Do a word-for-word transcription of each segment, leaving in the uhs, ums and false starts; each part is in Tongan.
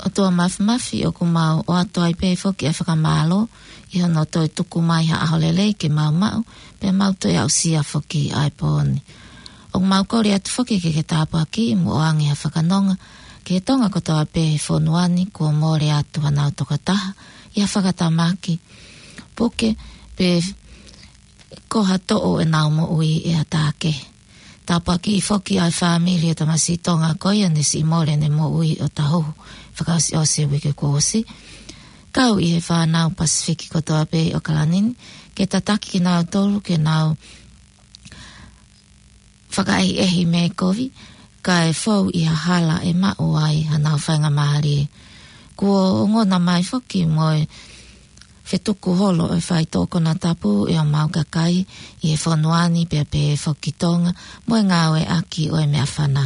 ʻOtua Māfimafi, ʻoku mau ʻoatu ai pē foki ʻa e fakamālō ʻi hono toe tuku mai ha ʻaho lelei ke mau maʻu, pea mau toe aʻusia foki ʻa e pō ni. ʻOku mau kole atu foki ke ke tāpuakiʻi mo ʻoange ha fakanonga ki he Tonga kotoa pē he fonua ni kuo mole atu hanau tokotaha ʻi ha fakatamaki, puke, pe ko ha toʻo ʻenau moʻui ʻe ha taha kehe. Tāpuakiʻi foki ʻa e fāmili ʻo e tamasiʻi Tonga ko ia ne siʻi mole ʻene moʻui ʻo taʻohu fakaʻosiʻosi he uike kuo ʻosi. Kau ʻi he fānau Pasifiki kotoa pē ʻi ʻAokalani ni, ke tataki kinautolu ke nau fakaʻehiʻehi mei he kovi, kae fou ʻi ha hala ʻe maʻu ai hanau faingamālie. Kuo ongona mai foki mo e fetuku holo ʻo e faitoʻo konatapu ʻa homau kakai ʻi he fonua ni pea pehē foki Tonga mo e ngāueʻaki ʻo e meʻafana.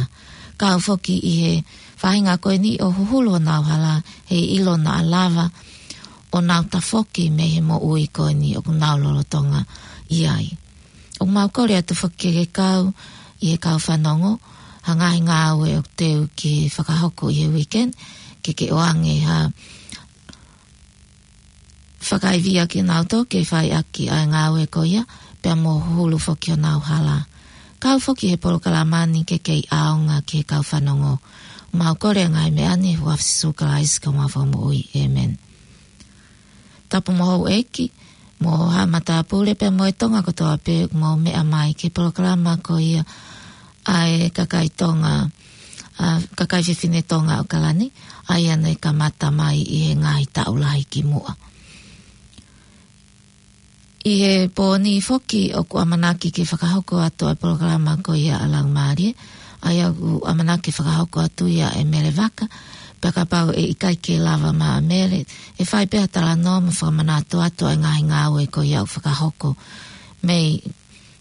Kau foki ʻi he faʻahinga ko eni ʻo huhulu honau hala, he ʻilo naʻa lava ʻo nau tafoki mei he moʻui ko eni ʻoku nau lolotonga ʻi ai. ʻOku mau kole atu foki ke ke kau ʻi he kau fanongo ha ngaahi ngāue ʻoku teu ke fakahoko ʻi he weekend, ke ke ʻoange ha fakaivia kinautolu ke fai ʻaki ʻa e ngāue ko ia, pea mo huhulu foki honau hala. Kau foki he polokalama ni ke kei ʻaonga ki he kau fanongo. Mau kole ʻa e ngaahi meʻa ni ʻi he huafa ʻo Sīsū Kalaisi ko homau Fakamoʻui. ʻĒmeni. Tapu mo houʻeiki, mo haʻa matāpule pea mo e Tonga kotoa pē ʻoku mou meʻa mai ki he polokalama ko ia ʻa e kakai Tonga, ʻa e kakai fefine Tonga ʻo ʻAokalani, ʻa ia ne kamata mai ʻi he ngaahi taʻu lahi kimuʻa. ʻI he pō ni foki ʻoku ʻamanaki ke fakahoko atu ʻa e polokalama ko ia ʻa Laumālie, ʻa ia ʻoku ʻamanaki fakahoko atu ia ʻe Mele Vaka, pea kapau ʻe ʻikai ke lava mai ʻa Mele, ʻe fai pē ha talanoa mo fakamanatu atu ʻa e ngaahi ngāue ko ia ʻoku fakahoko mei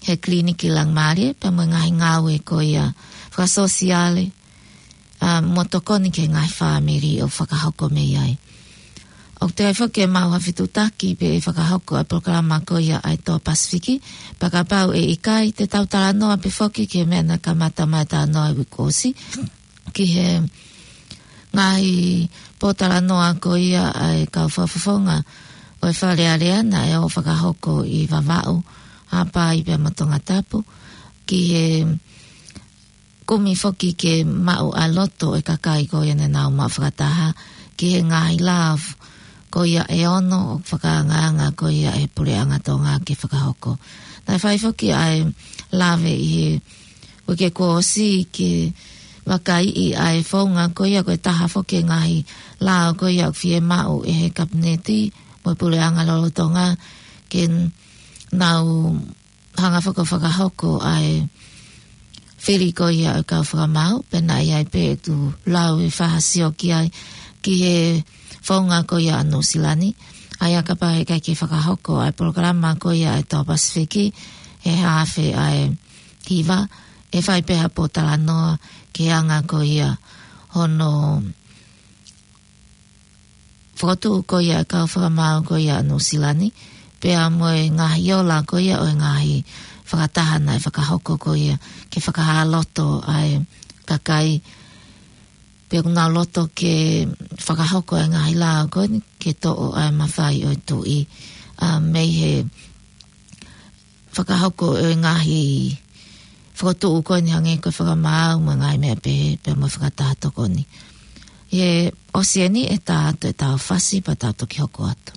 he Kiliniki Laumālie, pea mo e ngaahi ngāue ko ia fakasōsiale, ʻa, mo tokoni ki he ngaahi fāmili ʻoku fakahoko mei ai. ʻOku teʻeki ai foki ke mau ha fetuʻutaki pe ʻe fakahoko ʻa e polokalama ko ia ʻa e Toa Pasifiki, pea kapau ʻe ʻikai, te tau talanoa pē foki ki he meʻa naʻe kamata mai talanoa ʻi he uike kuo ʻosi, ki he ngaahi pōtalanoa ko ia ʻa e kau fakafofonga ʻo e Fale Alea naʻe ō fakahoko ʻi Vavaʻu, Haʻapai pea mo Tongatapu, ki he kumi foki ke maʻu ʻa e loto ʻo e kakai ko ia ne nau maʻu fakataha ki he ngaahi lao ko ia ʻe ono ʻoku fakaangaanga ko ia ʻe he Puleʻanga Tonga ke fakahoko. Naʻe fai foki ʻa e lave ʻi he uike kuo ʻosi ke vakaiʻi ʻa e founga ko ia ko e taha foki e ngaahi lao ko ia ʻoku fiemaʻu ʻe he Kapineti mo e Puleʻanga lolotonga ke nau hanga faka-, fakahoko ʻa e fili ko ia ʻo e kau fakamaau, pea naʻe ʻi ai pē ʻeku lau ʻe fā ha sio ki ai ki he founga ko ia ʻa Nuʻusila ni, ʻa ia kapau he ʻikai ke fakahoko ʻa e polokalama ko ia ʻa e Toa Pasifiki, he haafe ʻa e hiva, ʻe fai pē ha pōtalanoa ki he anga ko ia hono fokotuʻu ko ia ʻa e kau fakamaau ko ia ʻa Nuʻusila ni, pea mo e ngaahi ola ko ia ʻo e ngaahi fakataha naʻe fakahoko ko ia ke fakahā loto ʻa e kakai, pea ʻoku nau loto ke fakahoko ʻa e ngaahi lao ko eni ke toʻo ʻa e mafai ʻo e tuʻi, ʻa, mei he fakahoko ʻo e ngaahi fokotuʻu ko eni hangē ko e fakamaau mo e ngaahi meʻa pehē, pea mo e fakataha tokoni. ʻI he ʻosi eni ʻe tā atu ʻetau fasi pea tau toki hoko atu.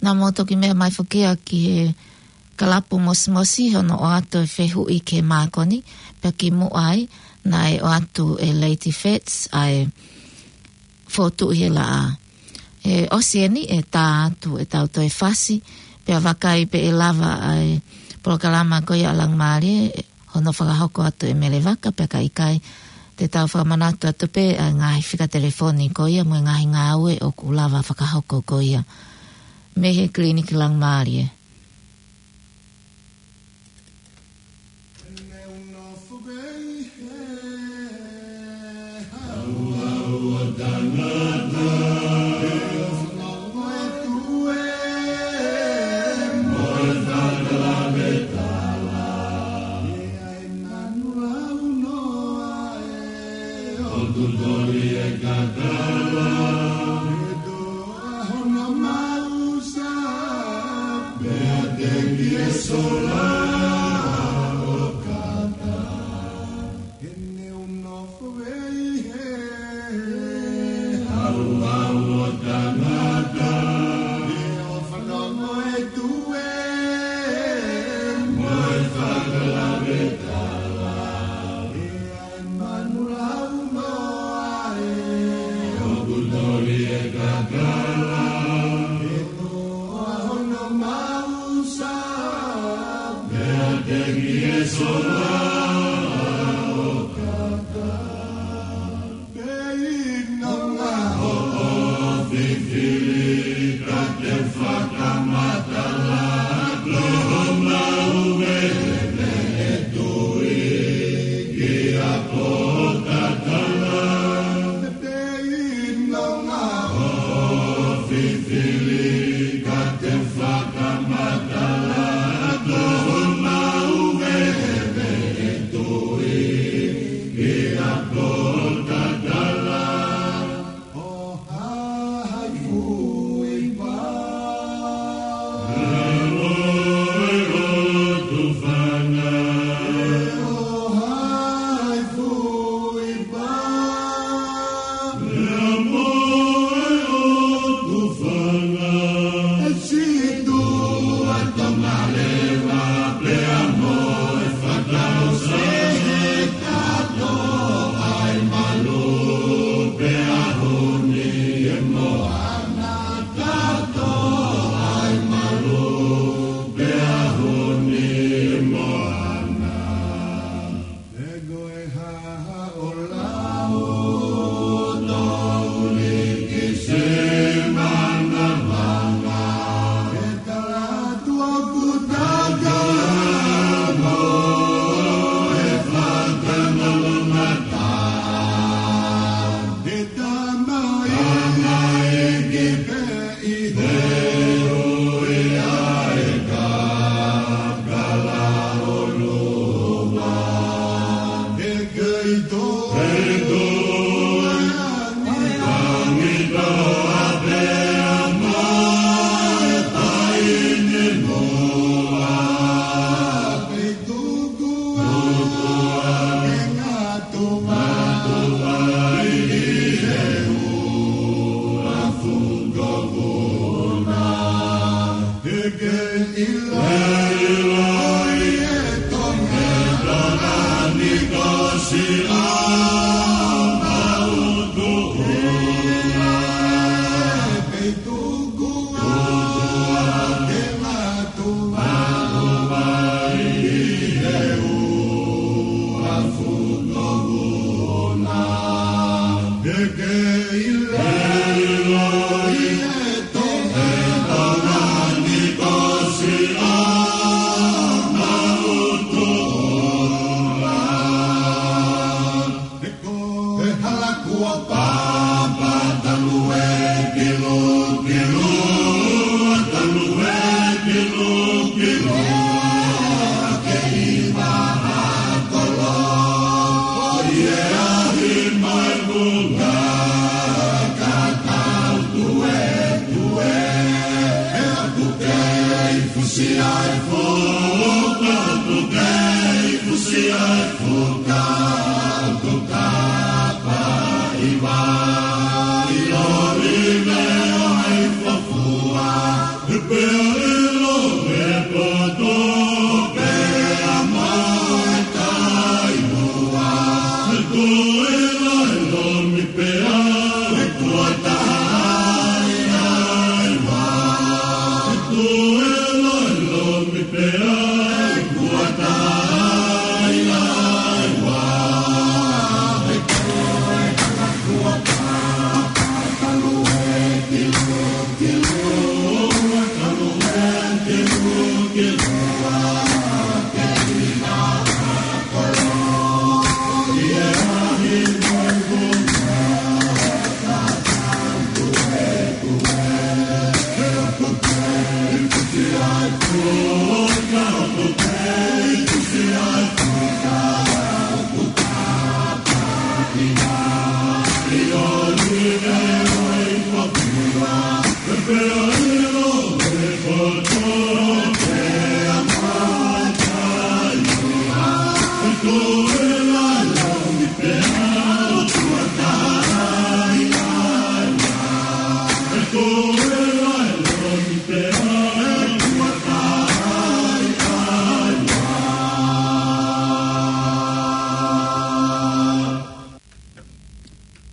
Naʻa mou toki meʻa mai foki ia ki he kalapu mosimosi hono ʻoatu e fehuʻi ki he mākoni, pea kimuʻa ai, naʻe ʻoatu ʻe Lady Fitz ʻa e fotu ʻi he laʻā. ʻE ʻosi eni ʻetau tā atu ʻetau toe fasi, pea vakai pe ʻe lava ʻa e polokalama ko ia ʻa Langimālie, hono fakahoko atu ʻe Mele Vaka, pea ka ʻikai te tau fakamanatu atu pē ʻa e ngaahi fika telefoni ko ia mo e ngaahi ngāue ʻoku lava fakahoko ko ia mei he Kiliniki Langimālie.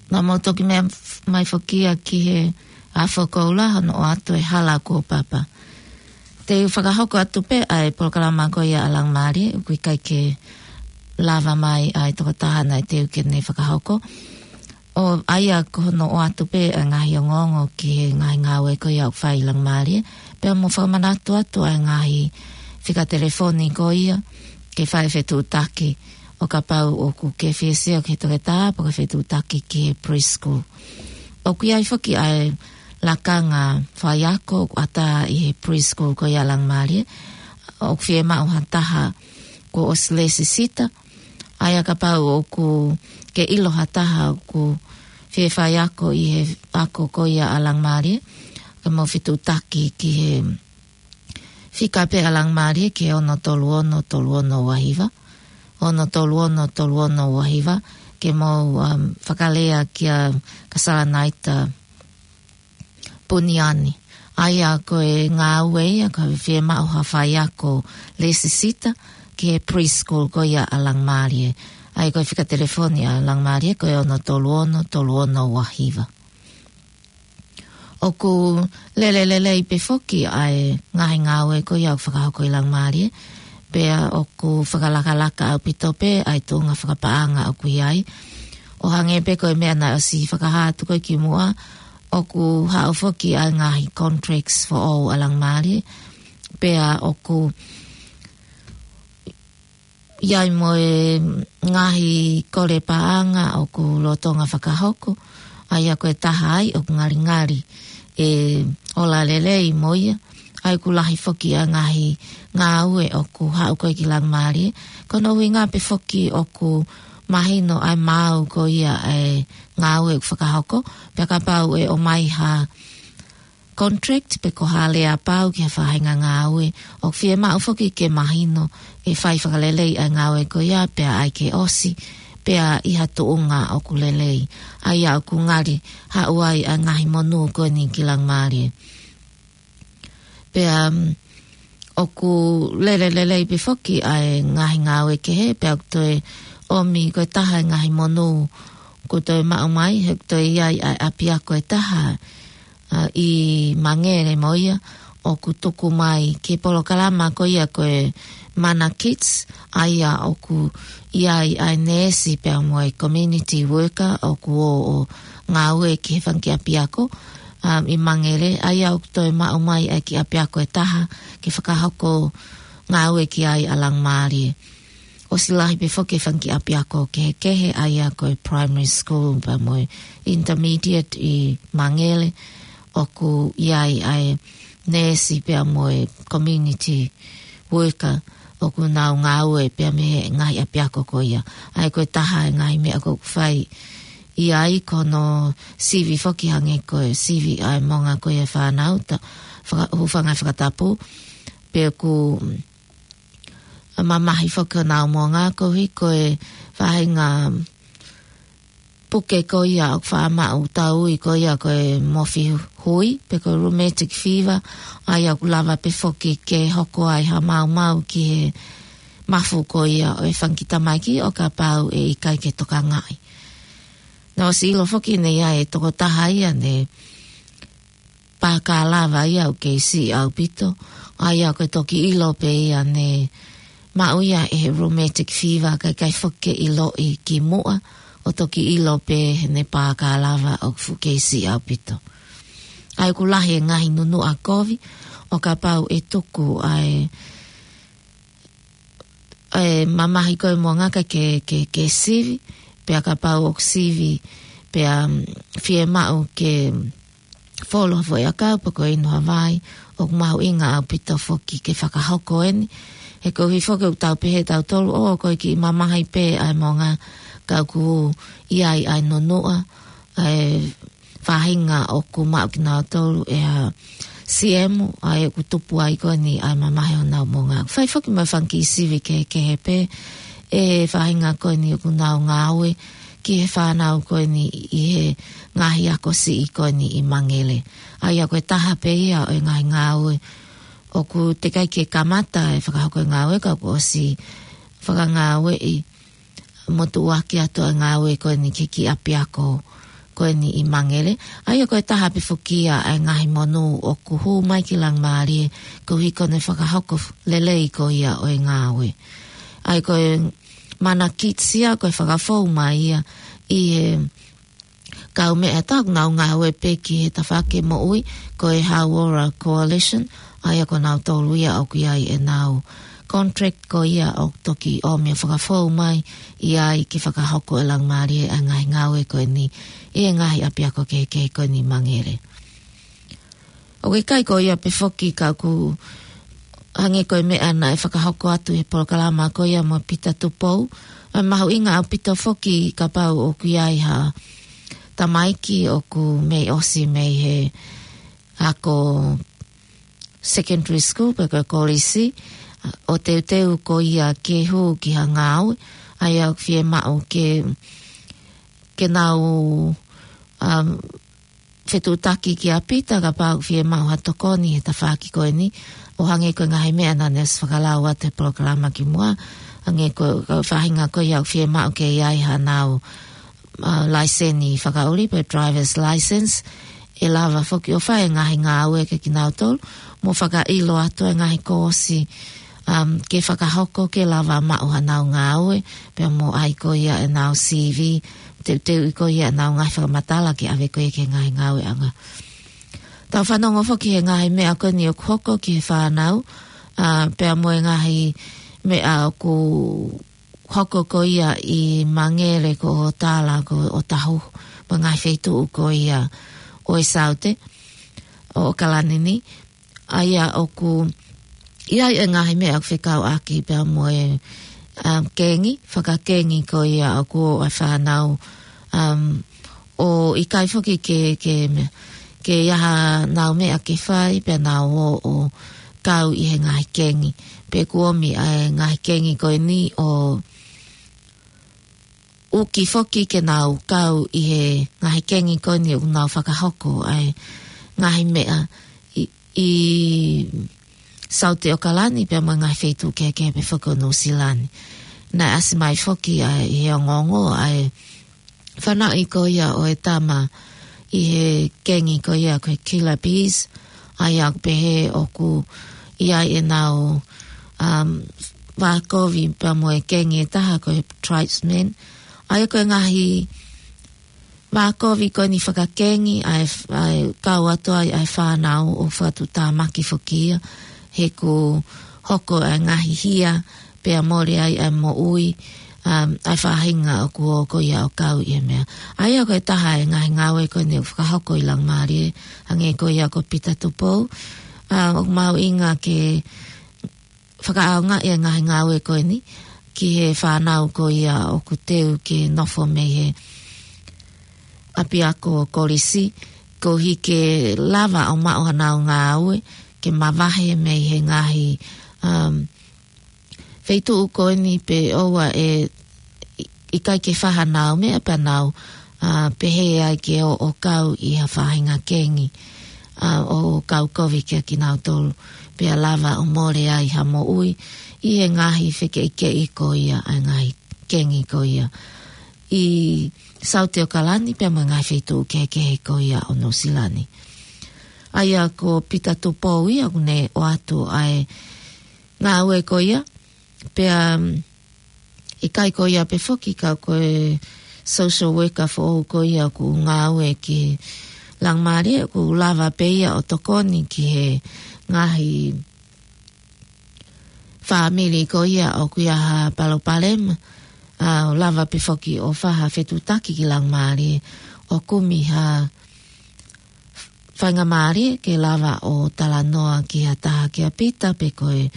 Naʻa mou toki meʻa mai foki ia ki he ʻAfo Koula hono ʻoatu e Hala Kuo Papa. Te u fakahoko atu pē ʻa e polokalama ko ia ʻa Langimālie, ʻoku ʻikai ke lava mai ʻa e tokotaha naʻe teu ke ne fakahoko. ʻO ʻai ʻa hono ʻoatu pē ʻa e ngaahi ongoongo ki he ngaahi ngāue ko ia ʻoku fai ʻe Langimālie. Pea mou fakamanatu atu ʻa e ngaahi fika telefoni ko ia ke fai fetuʻutaki ʻo kapau ʻoku ke fie sio ki he toketā pe ko e fetuʻutaki ki he preschool. ʻOku ʻi ai foki ʻa e lakanga faiako ʻoku ʻatā ʻi he preschool ko ia ʻa Langimālie. ʻOku fiemaʻu ha taha kuo ʻosi lēsisita, ʻa ia kapau ʻoku ke ʻilo ha taha ʻoku fie faiako ʻi he ako ko ia ʻa Langimālie, ke mou fetuʻutaki ki he fika pē ʻa Langimālie ki he ono tolu ono tolu ono ua hiva, ono tolu ono tolu ono ua hiva, ke mou, um, fakalea kia Kasalanaita Puniani. ʻA ia ko e ngāue ia, ko e fiemaʻu ha faiako lēsisita ki he preschool ko ia ʻa Langimālie. ʻA ia ko e fika telefoni ʻa Langimālie ko e ono tolu ono, tolu ono ua hiva. ʻOku lele lelei pē foki ʻa e ngaahi ngāue ko ia ʻoku fakahoko ʻi Langimālie, pea ʻoku fakalakalaka ʻaupito pē ʻa e tuʻunga fakapaʻanga ʻoku ʻi ai. ʻO hangē pē ko e meʻa naʻe ʻosi fakahā atu ko ē kimuʻa, ʻoku haʻu foki ʻa e ngaahi contracts foʻou ʻa Langimālie, pea ʻoku ʻi ai mo e ngaahi kole paʻanga ʻoku lolotonga fakahoko, ʻa ia ko e taha ai ʻoku ngalingali e ola lelei mo ia, ʻa ia ʻoku lahi foki ʻa e ngaahi ngāue ʻoku haʻu ko ē ki Langimālie. Ko hono ʻuhinga pē foki ʻoku mahino ʻa e maau ko ia ʻa e ngāue ʻoku fakahoko, pea kapau ʻe ʻomai ha contract pe ko ha lea pau ki ha faʻahinga ngāue, ʻoku fiemaʻu foki ke mahino ʻe fai fakalelei ʻa e ngāue ko ia pea ʻai ke ʻosi, pea ʻi ha tuʻunga ʻoku lelei. ʻA ia ʻoku ngali haʻu ai ʻa e ngaahi monū ko eni ki Langimālie. Pea, um, ʻoku lele lelei pē foki ʻa e ngaahi ngāue kehe, pea ʻoku toe ʻomi ko e taha e ngaahi monū kuo toe maʻu mai, he ʻoku toe ʻi ai ʻa e ʻapiako ʻe taha, ʻa, ʻi Mangere mo ia, ʻoku tuku mai ki he polokalama ko ia ko e Mana Kids, ʻa ia ʻoku ʻi ai ʻa e neesi pea mo e community worker ʻoku ō ʻo ngāue ki he fanga kiʻi ʻapiako, um, ʻi Mangere, ʻa ia ʻoku toe maʻu mai ʻa e kiʻi ʻapiako ʻe taha ke fakahoko ngāue ki ai ʻa Langimālie. ʻOsi lahi pē foki e fanga kiʻi ʻapiako kehekehe, ʻa ia ko e primary school pea mo e intermediate ʻi Mangere, ʻoku ʻi ai ʻa e neesi pea mo e community worker ʻoku nau ngāue pea mei he ngaahi ʻapiako ko ia. ʻA ia ko e taha e ngaahi meʻa ʻoku fai ʻi ai ko hono sivi foki hangē ko e sivi ʻa e moʻunga ko ia e fānau, ta faka-, hūfanga he fakatapu, pea ʻoku mamahi foki honau moʻunga koeʻuhi ko e faʻahinga puke ko ia ʻoku faʻa maʻu tauʻi ko ia ko e mofi hui, pe ko e rheumatic fever, ʻa ia ʻoku lava pē foki ke hoko ai ha maumau ki he mafu ko ia ʻo e fanga kiʻi tamaiki ʻo kapau ʻe ʻikai ke tokangaʻi. Naʻe ʻosi ʻilo foki naʻe ʻi ai e tokotaha ia naʻe pākālava ia ʻoku kei siʻi ʻaupito, ʻa ia ko e toki ʻilo pē ia naʻe maʻu ia ʻe he rheumatic fever kae ʻikai foki ke ʻiloʻi kimuʻa, ʻo toki ʻilo pē heʻene pākālava ʻoku fuʻu kei siʻi ʻaupito. ʻA ia ʻoku lahi e ngaahi nunuʻa kovi, ʻo kapau ʻe tuku ʻa e ʻe mamahi ko e moʻunga ke, ke, ke sivi, pea kapau ʻoku sivi, pea, um, fiemaʻu ke folo ha foʻiʻakau pe ko e inu ha vai, ʻoku mahuʻinga ʻaupito foki ke fakahoko eni. He koeʻuhi foki ʻoku tau pehē tautolu, ʻo ko e kiʻi mamahi pē ʻa e moʻunga ka ʻoku ʻi ai ʻa e nunuʻa, ʻa e faʻahinga ʻoku maʻu kinautolu ʻe ha siemu, ʻa ia ʻoku tupu ai ko eni ʻa e mamahi honau moʻunga. Fai foki mo e fanga kiʻi sivi kehekehe pē ʻe he faʻahinga ko eni ʻoku nau ngāue ki he fānau ko eni ʻi he ngaahi ako siʻi ko eni ʻi Mangere. ʻA ia ko e taha pē ia ʻo e ngaahi ngāue ʻoku teʻeki ai ke kamata e fakahoko e ngāue ka kuo ʻosi fakangāueʻi mo tuʻuaki atu ʻa e ngāue ko eni ki he kiʻi ʻapiako ko eni ʻi Mangere. ʻA ia ko e taha pē foki ia ʻa e ngaahi monū ʻoku hū mai ki Langimālie koeʻuhi ko ʻene fakahoko lelei ko ia ʻo e ngāue. ʻA ia ko e Mana Kids ia ko e fakafou mai ia ʻi he kaumeʻa ʻoku nau ngāue pē ki he tafaʻaki moʻui ko e Hauora Coalition, ʻa ia ko nautolu ia ʻoku ʻi ai ʻenau contract ko ia ʻoku toki ʻomi ʻo fakafou mai ʻi ai ke fakahoko ʻe Langimālie ʻa e ngaahi ngāue ko eni ʻi he ngaahi ʻapiako kehekehe ko eni ʻi Mangere. ʻOku ʻikai ko ia pē foki ka ʻoku hangē ko e meʻa naʻe fakahoko atu he polokalama ko ia mo Pita Tupou. ʻE mahuʻinga ʻaupito foki kapau ʻoku ʻi ai ha tamaiki ʻoku mei ʻosi mei he ako secondary school pe ko e kolisi, ʻo teuteu ko ia ke hū ki ha ngāue, ʻa ia ʻoku fiemaʻu ke, ke nau, um, fetuʻutaki kia Pita kapau ʻoku fiemaʻu ha tokoni he tafaʻaki ko eni, ʻo hangē ko e ngaahi meʻa naʻa ne ʻosi fakalau atu he polokalama kimuʻa, hangē ko e, ko e faʻahinga ko ia ʻoku fiemaʻu ke ʻi ai haʻanau, uh, laiseni fakaʻuli pe driver's license, ʻe lava foki ʻo fai e ngaahi ngāue kia kinautolu, mo fakaʻilo atu e ngaahi koosi, um, ke fakahoko ke lava maʻu haʻanau ngāue, pea mo ʻai ko ia ʻenau C V, teuteuʻi ko ia ʻenau ngaahi fakamatala ke ʻave ko ia ki he ngaahi ngāueʻanga. Tau fanongo foki he ngaahi meʻa ko eni ʻoku hoko ki he fānau, uh, pea mo e ngaahi meʻa ʻoku hoko ko ia ʻi Mangere, ko ʻOtala, ko ʻOtahuhu, mo e ngaahi feituʻu ko ia ʻo e Saute ʻo ʻAokalani ni. ʻA ia ʻoku ʻi ai e ngaahi meʻa ʻoku fekauʻaki pea mo e, um, kengi, fakakengi ko ia ʻoku ʻo e fānau, um, ʻo ʻikai foki ke, ke meʻa, ke ʻi ai haʻanau meʻa ke fai pea nau ō ʻo kau ʻi he ngaahi kengi. Pe ʻoku ʻomi ʻa e ngaahi kengi ko eni ʻo uki foki ke nau kau ʻi he ngaahi kengi ko eni ʻoku nau fakahoko ʻa e ngaahi meʻa ʻi, ʻi Saute ʻAokalani pea mo e ngaahi feituʻu kehekehe pē foki ʻo Nuʻusila ni. Naʻe ʻasi mai foki ʻa e, ʻi he ongoongo ʻa e fanaʻi ko ia ʻo e tama ʻi he kengi ko ia ko e Killer Bees, ʻa ia ʻoku pehē ʻoku ʻi ai ʻenau, um, vākovi pea mo e kengi ʻe taha ko e Tribesmen. ʻA ia ko e ngaahi vākovi ko eni fakakengi, ʻa e, ʻa e kau atu ai ʻa e fānau ʻo fakatuʻutāmaki foki ia, he ʻoku hoko ʻa e ngaahi hia, pea mole ai ʻa e moʻui, um, ʻa e faʻahinga ʻoku ō ko ia ʻo kau ʻi he meʻa. ʻA ia ko e taha e ngaahi ngāue ko eni ʻoku fakahoko ʻi Laumālie, hangē ko ia ko Pita Tupou, um, ʻoku mahuʻinga ke fakaʻaongaʻi e ngaahi ngāue ko eni ki he fānau ko ia ʻoku teu ke nofo mei he ʻapiako kolisi, koeʻuhi ke lava ʻo maʻu haʻanau ngāue, ke mavahe mei he ngaahi, um, feituʻu ko eni pe ʻoua ʻe ʻikai ke fai haʻanau meʻa pea nau, uh, pehē ai ke ō ʻo kau ʻi ha faʻahinga kengi, uh, ʻo kau kovi kia kinautolu, pea lava ʻo mole ai ha moʻui ʻi he ngaahi fekeʻikeʻi ko ia ʻa e ngaahi kengi ko ia ʻi Saute ʻAokalani pea mo e ngaahi feituʻu kehekehe ko ia ʻo Nuʻusila ni. ʻA ia ko Pita Tupou ia ʻoku ne ʻoatu ʻa e ngāue ko ia, pea, um, ʻikai ko ia pē foki ka ko e social worker foʻou ko ia ʻoku ngāue ki Laumālie, ʻoku lava pē ia ʻo tokoni ki he ngaahi fāmili ko ia ʻoku ʻi ai ha palopalema, ʻa, ʻo lava pē foki ʻo fai ha fetuʻutaki ki Laumālie ʻo kumi ha faingamālie ke lava ʻo talanoa ki ha taha kia Pita pe ko e,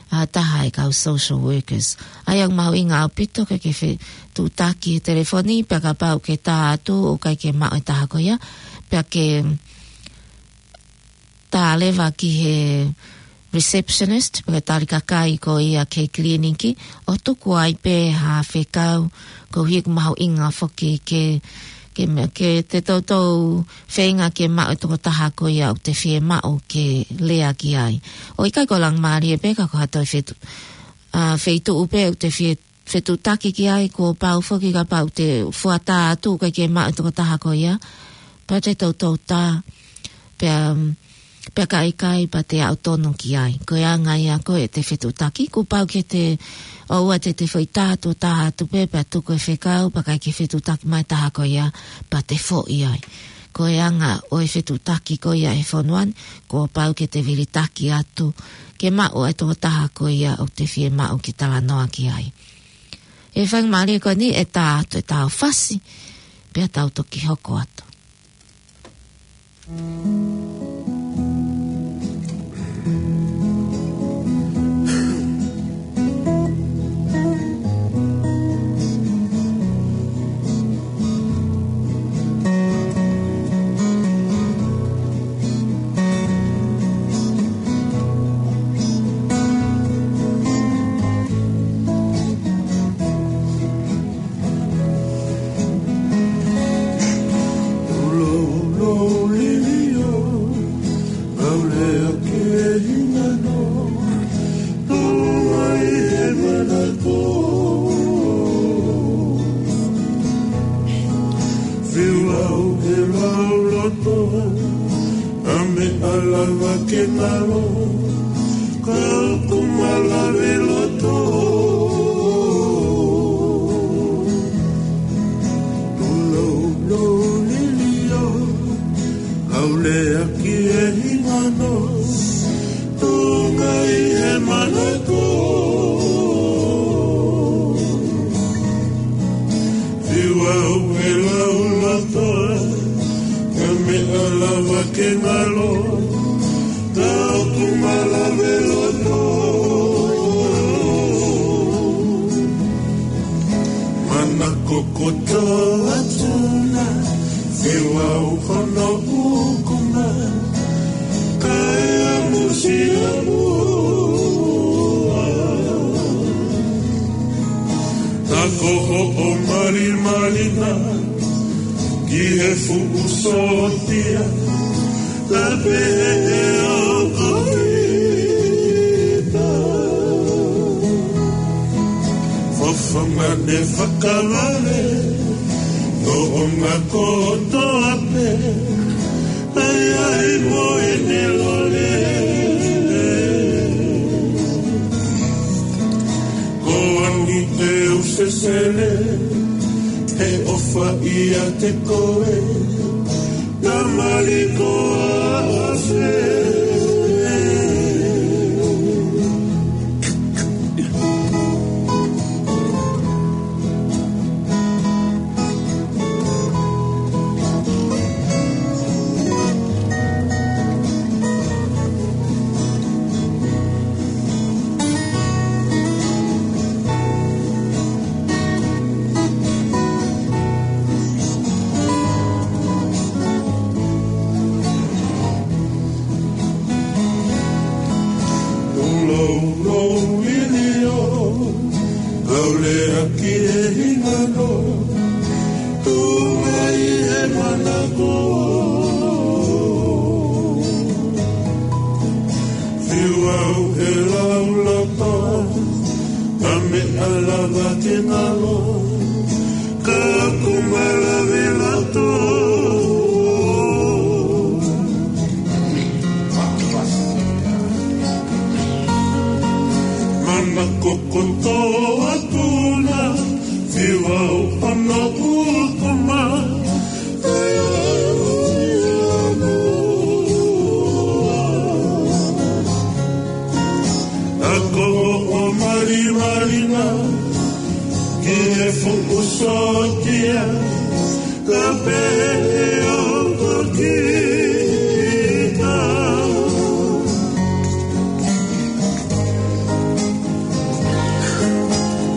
ʻa, taha e kau social workers. ʻA ia ʻoku mahuʻinga ʻaupito ke ke fetuʻutaki he telefoni, pea kapau ʻoku ke tā atu ʻoku ʻikai ke maʻu e taha ko ia, pea ke tā leva ki he receptionist, pe ko e tali kakai ko ia ki he kiliniki, ʻo tuku ai pē ha fekau, koeʻuhi ʻoku mahuʻinga foki ke, ke me-, ke te toutou feinga ke maʻu e tokotaha ko ia ʻoku te fiemaʻu ke lea ki ai. ʻO ʻikai ko Laumālie pē ka ko ha toe fetu-, ʻa, feituʻu pē ʻoku te fie fetuʻutaki ki ai, kuo pau foki kapau te fuata atu ʻoku ʻikai ke maʻu e tokotaha ko ia, pea te toutou tā, pea, pea ka ʻikai, pea te aʻu tonu ki ai. Ko e anga ia ko ē ʻete fetuʻutaki, kuo pau ke te ʻoua te te foʻi tā atu, tā atu pē, pea tuku e fekau, pea ʻikai ke fetuʻutaki mai taha ko ia, pea te foʻi ai. Ko e anga ʻo e fetuʻutaki ko ia he fonua ni, kuo pau ke te vilitaki atu, ke maʻu e tokotaha ko ia ʻoku te fiemaʻu ke talanoa ki ai. ʻE faingamālie ko eni ʻe tā atu e tau fasi, pea tau toki hoko atu. Lava ke ngalo, ka ʻoku malave loto. Ulo, ulo, lilio, ʻau lea ki he hingano, Tonga ʻi he manako. Fiu au he lau loto, ka meʻa lava ke ngalo, ka ʻoku malave loto. Manako kotoa atu na, fiu au hono ʻukuʻa, kae ʻamusiamu. Ka ko hoʻo malimali na ki he fuʻu sōtia, ka pehē ʻe au ko kita. Fofonga ne fakavale, Tonga kotoa pē, ʻai ai mo ʻene lole. Ko angi te u sesele, he ʻofa ʻiate koe, ka mali ko ase. Ulo, ulo, lilio, ʻau lea ki he hingano, Tonga ʻi he manako. Fiu au he lau loto, ka meʻa lava ke ngalo, ka ʻoku malave loto. Manako kotoa atu na, fiu au hono ʻukuʻa, ka ko hoʻo malimali na ki he fuʻu sōtia, ka pehē ʻe au ko kita.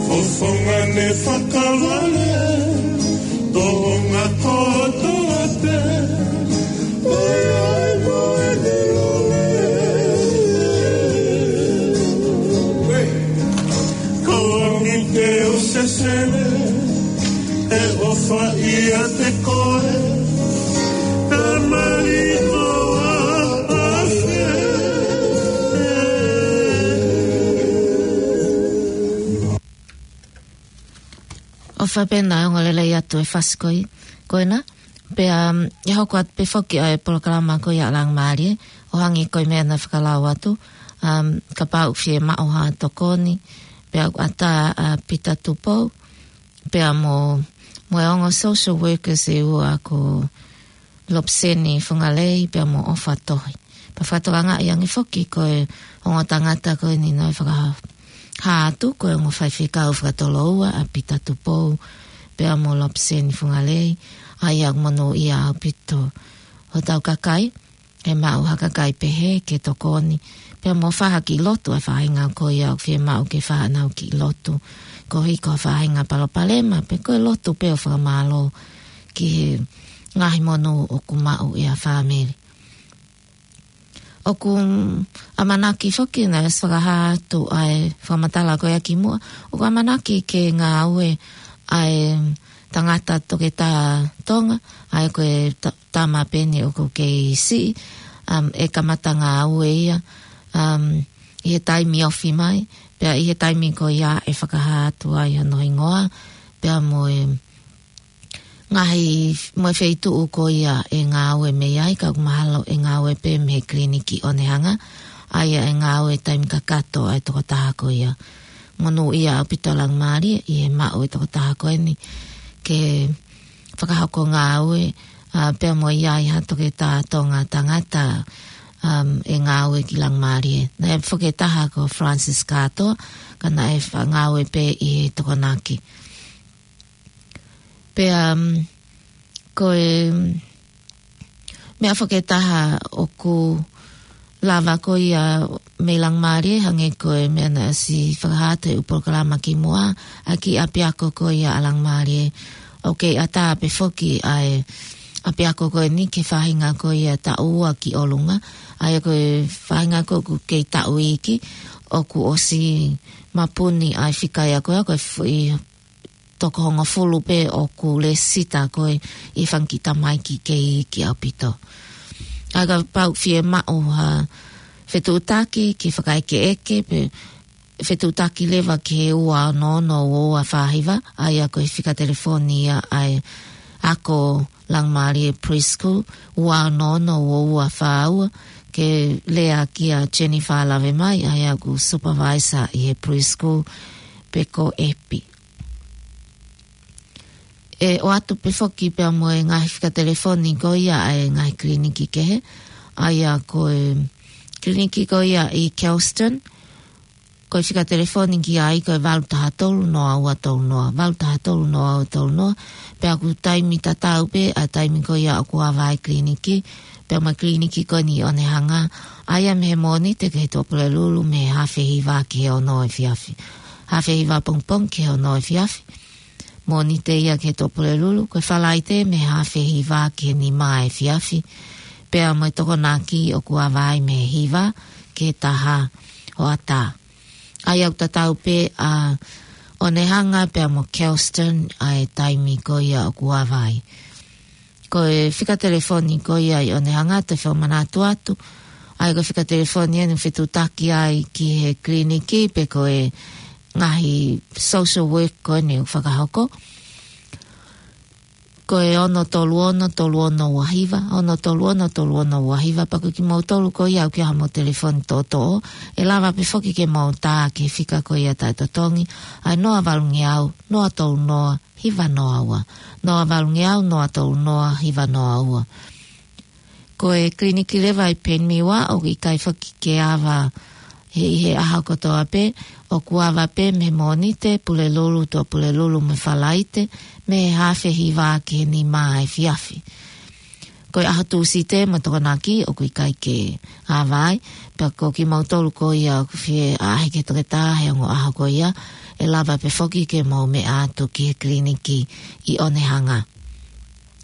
Fofonga ne fakavale, Tonga kotoa pē, ʻai mo ʻene lole. Ko angi te u sesele, he ʻofa ʻiate koe, ka mali ko ase. ʻOfa pē naʻa ongo lelei atu e fasi ko ē, ko ena. Pea, um, ʻe hoko atu pē foki ʻa e polokalama ko ia ʻa Langamālie, ʻo hangē ko e meʻa naʻe fakalau atu, um, kapau ʻoku fiemaʻu ha tokoni, pea ʻoku ʻatā ʻa Pita Tupou, pea mo, mo e ongo social workers ʻe ua ko Lopseni Fungalei pea mo ʻOfa Tohi. Pea fakatokangaʻi ange foki ko e ongo tangata ko eni naʻe fakahā atu ko e ongo faifekau fakatoloua ʻa Pita Tupou pea mo Lopseni Fungalei, ʻa ia ʻoku monūʻia ʻaupito hotau kakai, ʻe maʻu ha kakai pehē ke tokoni, pea mo fai ha kiʻi lotu ʻa e faʻahinga ko ia ʻoku fiemaʻu ke fai haʻanau kiʻi lotu. Koeʻuhi ko ha faʻahinga palopalema, pe ko e lotu pē ʻo fakamālō ki he ngaahi monū ʻoku maʻu ʻe ha fāmili. ʻOku ʻamanaki foki naʻe ʻosi fakahā atu ʻa e fakamatala ko ia kimuʻa, ʻoku ʻamanaki ke ngāue ʻa e tangata toketā Tonga, ʻa ia ko e ta-, tama pē eni ʻoku kei siʻi, um, ʻe kamata ngāue ia, um, ʻi he taimi ofi mai, pea ʻi he taimi ko ia ʻe fakahā atu ai hono hingoa, pea mo e ngaahi, mo e feituʻu ko ia ʻe ngāue mei ai, ka ʻoku mahalo ʻe ngāue pē mei he kiliniki ʻo ne hanga, ʻa ia ʻe ngāue taimi kakato ʻa e tokotaha ko ia. Monūʻia ʻaupito Laumālie ʻi he maʻu ʻe he tokotaha ko eni ke fakahoko ngāue, ʻa, pea mo ia ʻi ha toketā Tonga tangata, um, ʻe ngāue ki Laumālie. Naʻe foki e taha ko Francis Kātoa, ka naʻe fa-, ngāue pē ʻi he Tokonaki. Pea, um, ko e meʻa foki ʻe taha ʻoku lava ko ia mei Laumālie, hangē ko e meʻa naʻe ʻosi fakahā atu ʻe he polokalama kimuʻa, ʻa e kiʻi ʻapiako ko ia ʻa Laumālie. ʻOku kei ʻatā pē foki ʻa e ʻapiako ko eni ki he faʻahinga ko ia taʻu ua ki ʻolunga. ʻA ia ko e faʻahinga ko ē ʻoku kei taʻu iiki, ʻoku ʻosi mapuni ʻa e fika ia ko ia, ko e foʻi toko hongofulu pē ʻoku lēsisita ko ē ʻi he fanga kiʻi tamaiki kei iiki ʻaupito. ʻA ia kapau ʻe fiemaʻu ha fetuʻutaki ke fakaʻekeʻeke pe fetuʻutaki leva ki he ua ono ono ua ua fā hiva, ʻa ia ko e fika telefoni ia ʻa e ako Laumālie Preschool, ua ono ono ua ua fā ua, ke lea kia Jennifer Lavemai, ʻa ia ʻoku supervisor ʻi he preschool, pe ko ʻEpi. ʻE ʻoatu pē foki pea mo e ngaahi fika telefoni ko ia ʻa e ngaahi kiliniki kehe, ʻa ia ko e kiliniki ko ia ʻi Kelston, ko e fika telefoni ki ai ko e valu taha tolu noa ua tolu noa, valu taha tolu noa ua tolu noa, pea ʻoku taimi tatau pē ʻa e taimi ko ia ʻoku ava ai e kiliniki, pea mo e kiliniki ko eni ʻo ne hanga, ʻa ia mei he Mōnite ki he Tuʻapulelulu mei he haafe hiva ki he ono efiafi. Haafe hiva pongipongi ki he ono efiafi. Mōnite ia ki he Tuʻapulelulu, ko e Falaite mei he haafe hiva ki he nima efiafi. Pea mo e Tokonaki ʻoku ava ai mei he hiva ki he taha hoʻatā. ʻA ia ʻoku tatau pē ʻa ʻo ne hanga pea mo Kelston ʻa e taimi ko ia ʻoku ava ai. Ko e fika telefoni ko ia ʻi ʻo ne hanga, te u fakamanatu atu. ʻA ia ko e fika telefoni ʻeni ʻoku fetuʻutaki ai ki he kiliniki pe ko e ngaahi social work ko eni ʻoku fakahoko. Ko e ono tolu ono tolu ono ua hiva, ono tolu ono tolu ono ua hiva, pea ko kimoutolu ko ia ʻoku ʻi ai haʻamou telefoni toʻotoʻo, ʻe lava pē foki ke mou tā ki he fika ko ia taʻetotongi, ʻa e noa valungeau, noa tolu noa, hiva noa ua. Noa valungeau, noa tolu noa, hiva noa ua. Ko e kiliniki leva ʻi Penmiwa ʻoku ʻikai foki ke ava he, ʻi he ʻaho kotoa pē, ʻoku ava pē mei he Mōnite, Pulelulu, Tuʻapulelulu mo e Falaite, mei he haafe hiva ki he nima efiafi. Ko e ʻaho Tūsite mo e Tokonaki ʻoku ʻikai ke ava ai, pea ko kimoutolu ko ia ʻoku fie ʻaʻahi ki he toketā he ongo ʻaho ko ia, ʻe lava pē foki ke mou meʻa atu ki he kiliniki ʻi ʻo ne hanga.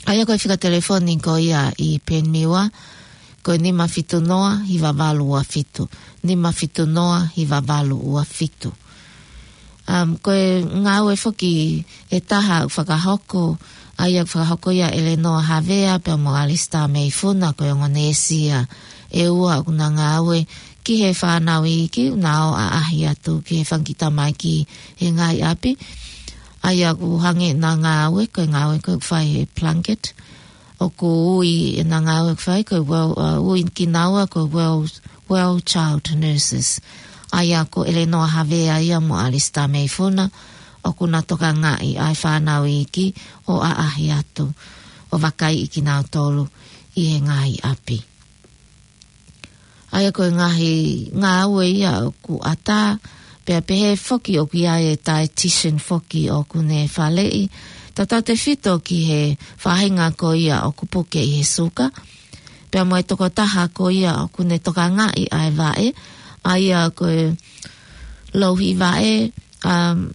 ʻA ia ko e fika telefoni ko ia ʻi Penmiwa, ko e nima fitu noa, hiva valu ua fitu. Nima fitu noa, hiva valu ua fitu. Um, ko e ngāue foki ʻe taha ʻoku fakahoko, ʻa ia ʻoku fakahoko ia ʻe Lenoa Havea pea mo Alisita Meifuna, ko e ongo neesi ia ʻe ua ʻoku na ngāue ki he fānau iiki ʻoku na ō ʻaʻahi atu ki he fanga kiʻi tamaiki he ngaahi ʻapi. ʻA ia ʻoku hangē ʻena ngāue, ko e ngāue ko ē ʻoku fai he Plunket. ʻOku ui ʻena ngāue ʻoku fai ko e well, uh, ui kinaua ko e well, well child nurses. ʻA ia ko ʻElenoa Havea ia mo ʻAlisita Meifuna, ʻoku na tokangaʻi ʻa e fānau iiki ʻo ʻaʻahi atu, ʻo vakaiʻi kinautolu ʻi he ngaahi ʻapi. ʻA ia ko e ngaahi ngāue ia ʻoku ʻatā, pea pehē foki ʻoku ʻi ai e dietitian foki ʻoku ne faleʻi, tautautefito ki he faʻahinga ko ia ʻoku puke ʻi he suka, pea mo e tokotaha ko ia ʻoku ne tokangaʻi ʻa e vaʻe, ʻa ia ko e louhi vaʻe, um,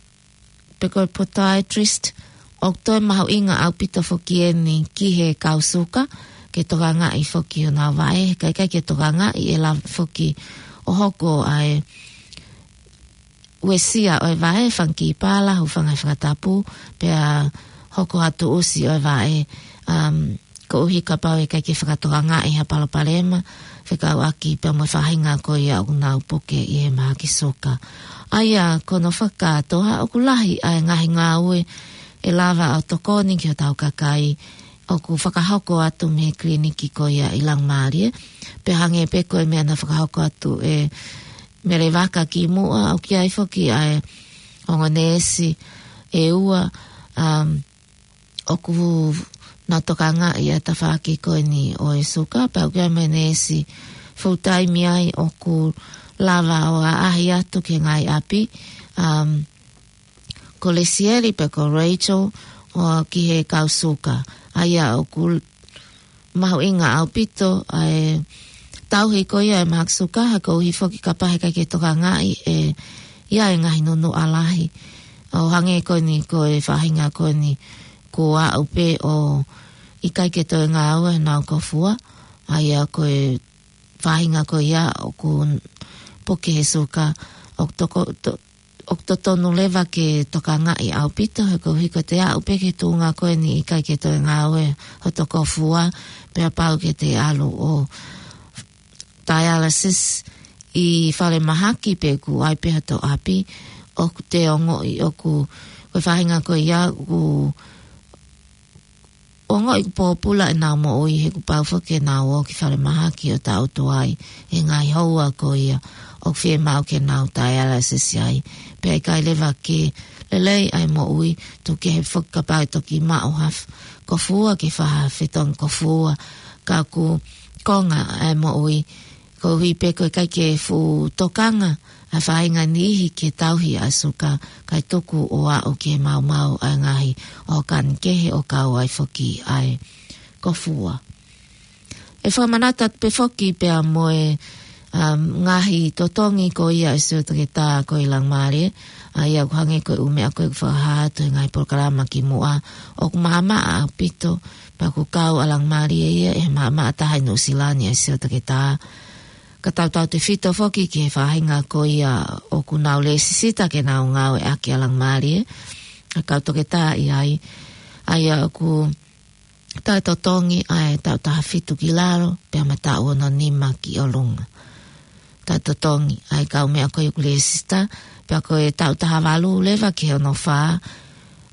pe ko e podiatrist, ʻoku toe mahuʻinga ʻaupito foki eni ki he kau suka, ke tokangaʻi foki honau vaʻe, kae ʻikai ke tokangaʻi ʻe lava foki ʻo hoko ʻa e uesia ʻo e vaʻe, fanga kiʻi pala, hūfanga he fakatapu, pea hoko ha tuʻusi ʻo e vaʻe, um, koeʻuhi kapau ʻe ʻikai ke fakatokangaʻi ha palopalema fekauʻaki pea mo e faʻahinga ko ia ʻoku nau puke ʻi he mahaki suka. ʻA ia ko hono fakakātoa ʻoku lahi ʻa e ngaahi ngāue ʻe lava ʻo tokoni ki hotau kakai ʻoku fakahoko atu mei he kiliniki ko ia ʻi Langamalie. Pea hangē pē ko e meʻa naʻe fakahoko atu ʻe Melevaka kimuʻa, ʻoku ʻi ai foki ʻa e ongo neesi ʻe ua, um, ʻoku nau tokangaʻi ʻa e tafaʻaki ko eni ʻo e suka, pea ʻoku ʻi ai mo e neesi full time ai ʻoku lava ʻo ʻaʻahi atu ki he ngaahi ʻapi, um, ko Lesieli pea ko Rachel ʻo ki he kau suka. ʻA ia ʻoku mahuʻinga ʻaupito ʻa e tauhi ko ia ʻa e mahaki suka, he koeʻuhi foki kapau he ʻikai ke tokangaʻi ʻe ia e ngaahi nunuʻa lahi. ʻO hangē ko eni ko e faʻahinga ko eni kuo aʻu pē ʻo ʻikai ke toe ngāue honau kofua. ʻA ia ko e faʻahinga ko ia ʻoku puke he suka, ʻoku toko-, to-, ʻoku totonu leva ke tokangaʻi ʻaupito, he koeʻuhi ko ʻete aʻu pē ki he tuʻunga ko eni ʻikai ke toe ngāue hoto kofua, pea pau ke te ʻalu ʻo dialysis ʻi falemahaki pe ʻoku ʻi ai pē hoto ʻapi, ʻoku te ongoʻi ʻoku, ko e faʻahinga ko ia ʻoku ongoʻi ʻoku pōpula ʻenau moʻui, he kuo pau foki ke nau ō ki falemahaki ʻo taʻutu ai e ngaahi houa ko ia ʻoku fiemaʻu ke nau dialysis ai. Pea ʻikai leva ke lelei ʻa e moʻui, tuku kehe foki kapau ʻe toki maʻu ha f-, kofua ke fai ha fetongi kofua, ka ʻoku konga ʻa e moʻui, koeʻuhi pē ko e ʻikai ke fuʻu tokanga ʻa e faʻahinga niʻihi ke tauhi ʻa e suka, kae tuku ʻo aʻu ke maumau ʻa e ngaahi ʻōkani kehe ʻo kau ai foki ʻa e kofua. ʻE fakamanatu atu pē foki pea mo e, um, ngaahi totongi ko ia ʻa e siutoketā ko ē ʻi Langamalie, ʻa ia ʻoku hangē ko e ʻū meʻa ko ē ʻoku fakahā atu he ngaahi polokalama kimuʻa, ʻoku maʻamaʻa ʻaupito, pea ʻoku kau ʻa Langamalie ia ʻi he maʻamaʻa taha ʻi Nuʻusila ni ʻa e siutoketā. Ka tautautefito foki ki he faʻahinga ko ia ʻoku nau lēsisita ke nau ngāueʻaki ʻa Langamalie, ʻa e kau toketā ʻi ai, ʻa ia ʻoku taʻetotongi ʻa e taʻu taha fitu ki lalo, pea mo e taʻu ono nima ki ʻolunga. Taʻetotongi ʻa e kau meʻa ko ia ʻoku lēsisita, pea ko e taʻu taha valu leva ki he ono fā,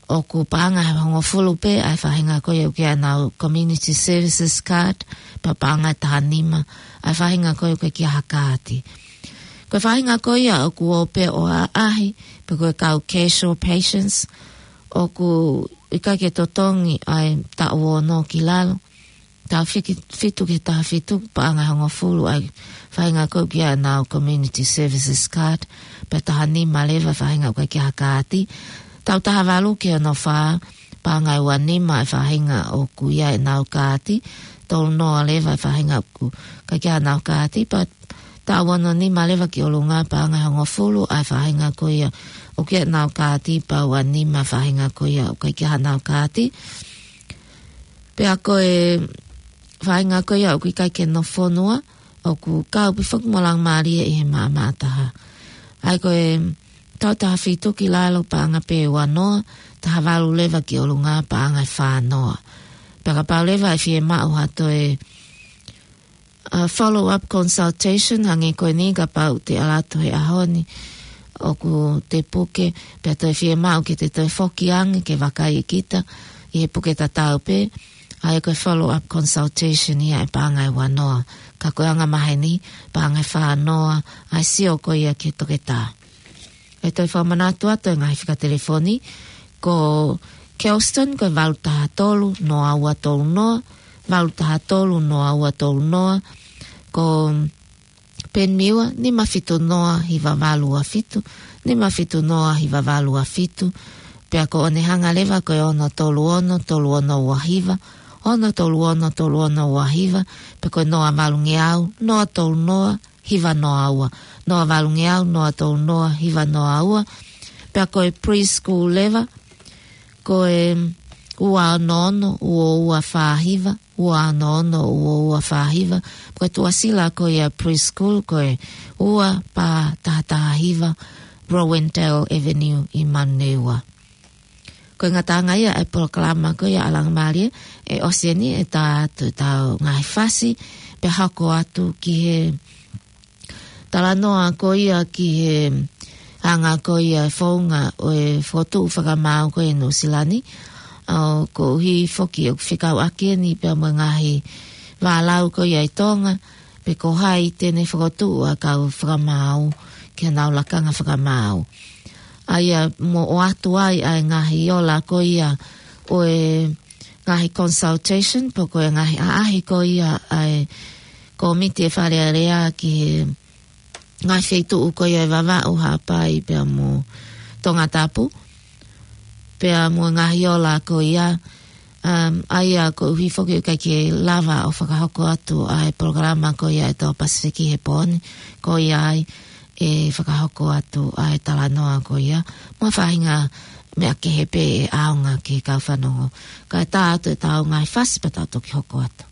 ʻoku paʻanga ʻe hongofulu pē ʻa e faʻahinga ko ia ʻoku ʻi ai ʻenau community services card, pea paʻanga ʻe taha nima ʻa e faʻahinga ko ia ʻoku ʻikai ke ʻi ai ha kaati. Ko e faʻahinga ko ia ʻoku ō pē ʻo ʻaʻahi, pe ko e kau casual patients, ʻoku ʻikai ke totongi ʻa e taʻu ono ki lalo, taʻu fiki-, fitu ki he taha fitu, paʻanga ʻe hongofulu ʻa e faʻahinga ko ia ʻoku ʻi ai ʻenau community services card, pea taha nima leva faʻahinga ʻoku ʻikai ke ʻi ai ha kaati. Taʻu taha valu ki he ono fā, paʻanga ʻe ua nima ʻa e faʻahinga ʻoku ʻi ai ʻenau kaati, tolu noa leva ʻa e faʻahinga ʻoku ʻikai ke ʻi ai haʻanau kaati, pea taʻu ono nima leva ki ʻolunga, paʻanga ʻe hongofulu ʻa e faʻahinga ko ia ʻoku ʻi ai ʻenau kaati, pea ua nima ʻa e faʻahinga ko ia ʻoku ʻikai ke ʻi ai haʻanau kaati. Pea ko e faʻahinga ko ia ʻoku ʻikai ke nofo fonua, ʻoku kau pē foki mo Langamalie ʻi he maʻamaʻa taha. ʻA ia ko e taʻu taha fitu ki lalo paʻanga pē ʻe ua noa, taha valu leva ki ʻolunga paʻanga ʻe fā noa. Pea kapau leva ʻe fiemaʻu ha toe, uh, follow-up consultation, hangē ko eni kapau te ʻalu atu he ʻaho ni, ʻoku te puke, pea toe fiemaʻu ke te toe foki ange ke vakai ʻe kita ʻi he puke tatau pē, ʻa ia ko e follow-up consultation ia ʻe paʻanga ʻe ua noa. Ka ko e anga maheni, paʻanga ʻe fā noa ʻa e sio ko ia ki he toketā. ʻE toe fakamanatu atu e ngaahi fika telefoni, ko Kelston ko e valu taha tolu noa ua tolu noa, valu taha tolu noa ua tolu noa, ko Penmiwa, nima fitu noa hiva valu ua fitu, nima fitu noa hiva valu ua fitu, pea ko ʻOnehunga leva ko e ono tolu ono tolu ono ua hiva, ono tolu ono tolu ono ua hiva, pea ko e noa valungeau, noa tolu noa hiva noa ua, noa valungeau, noa tolu noa hiva noa ua, pea ko e preschool leva, ko e ua ono ono ua ua fā hiva, ua ono ono ua ua fā hiva, ko e tuʻasila ko ia preschool, ko e ua pā taha taha hiva, Rowendale Avenue ʻi Manurewa. Ko e ngataʻanga ia e polokalama ko ia ʻa Langamalie, ʻe ʻosi eni ʻetau, ʻetau ngaahi fasi, pea hoko atu ki he talanoa ko ia ki he hanga ko ia e founga ʻo e fokotuʻu fakamaau ko ia ʻi Nuʻusila ni. ʻA ʻoku ʻuhi foki ʻoku fekauʻaki eni pea mo e ngaahi vālau ko ia ʻi Tonga, pe ko hai te ne fokotuʻu ʻa e kau fakamaau ki honau lakanga fakamaau. ʻA ia mo ʻoatu ai ʻa e ngaahi ola ko ia ʻo e ngaahi consultation, pe ko e ngaahi ʻaʻahi ko ia ʻa e kōmiti ʻa e Fale Alea ki he ngaahi feituʻu ko ia ʻi Vavaʻu, Haʻapai pea mo Tongatapu. Pea mo e ngaahi ola ko ia, um, ʻa ia ʻoku ʻuhi foki ʻoku ʻikai ke lava ʻo fakahoko atu ʻa e polokalama ko ia ʻa e Tō Pasifiki he pō ni, ko ia ai ʻe fakahoko atu ʻa e talanoa ko ia. Mo e faʻahinga meʻa kehe pē ʻe ʻaonga ki he kau fanongo. Kae tā atu ʻetau ngaahi fasi pea tau toki hoko atu.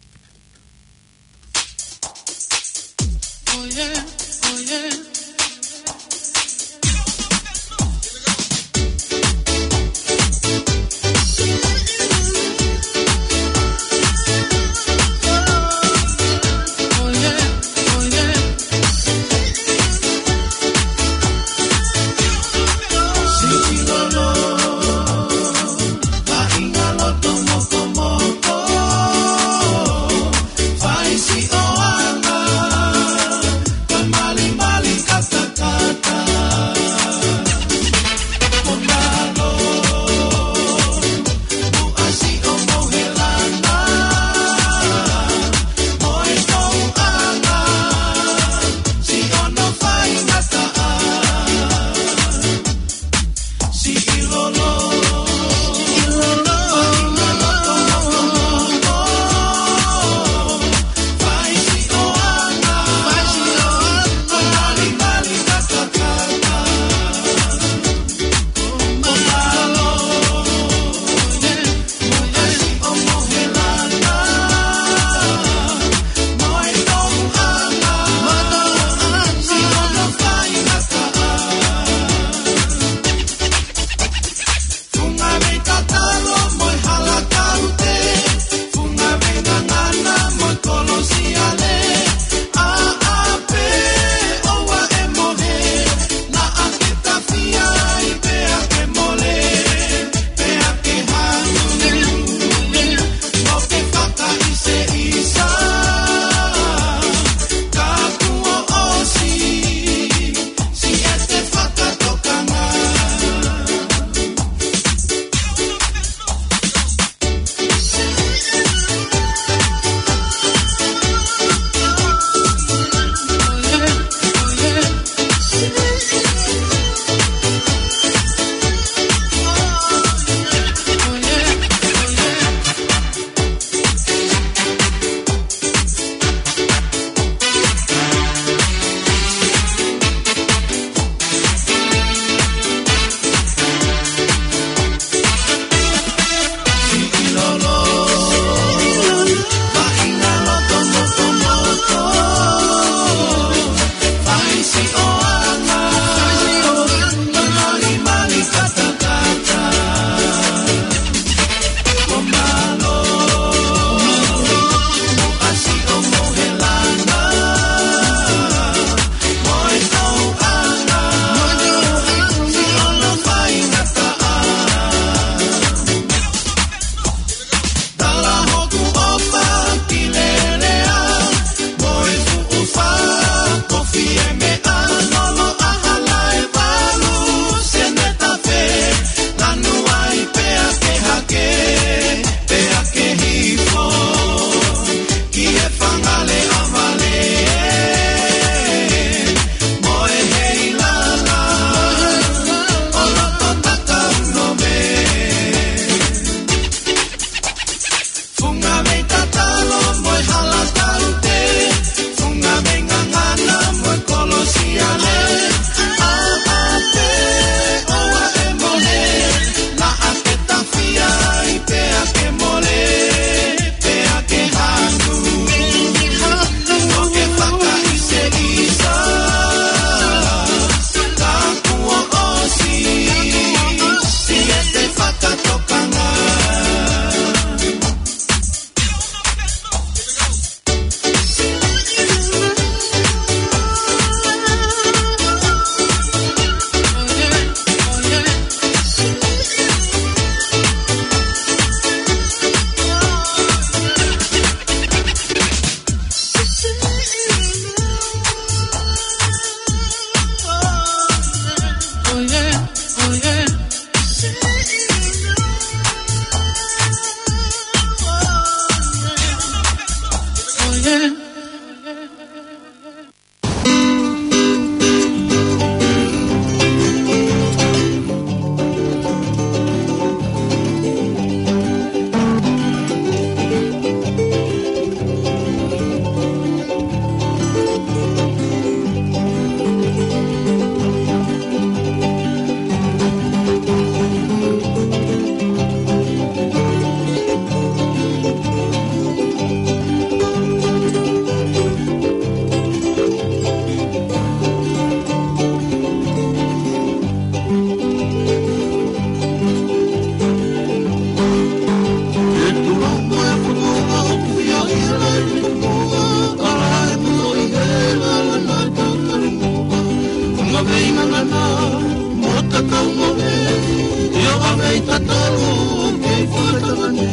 Tatalo ke fakatangane.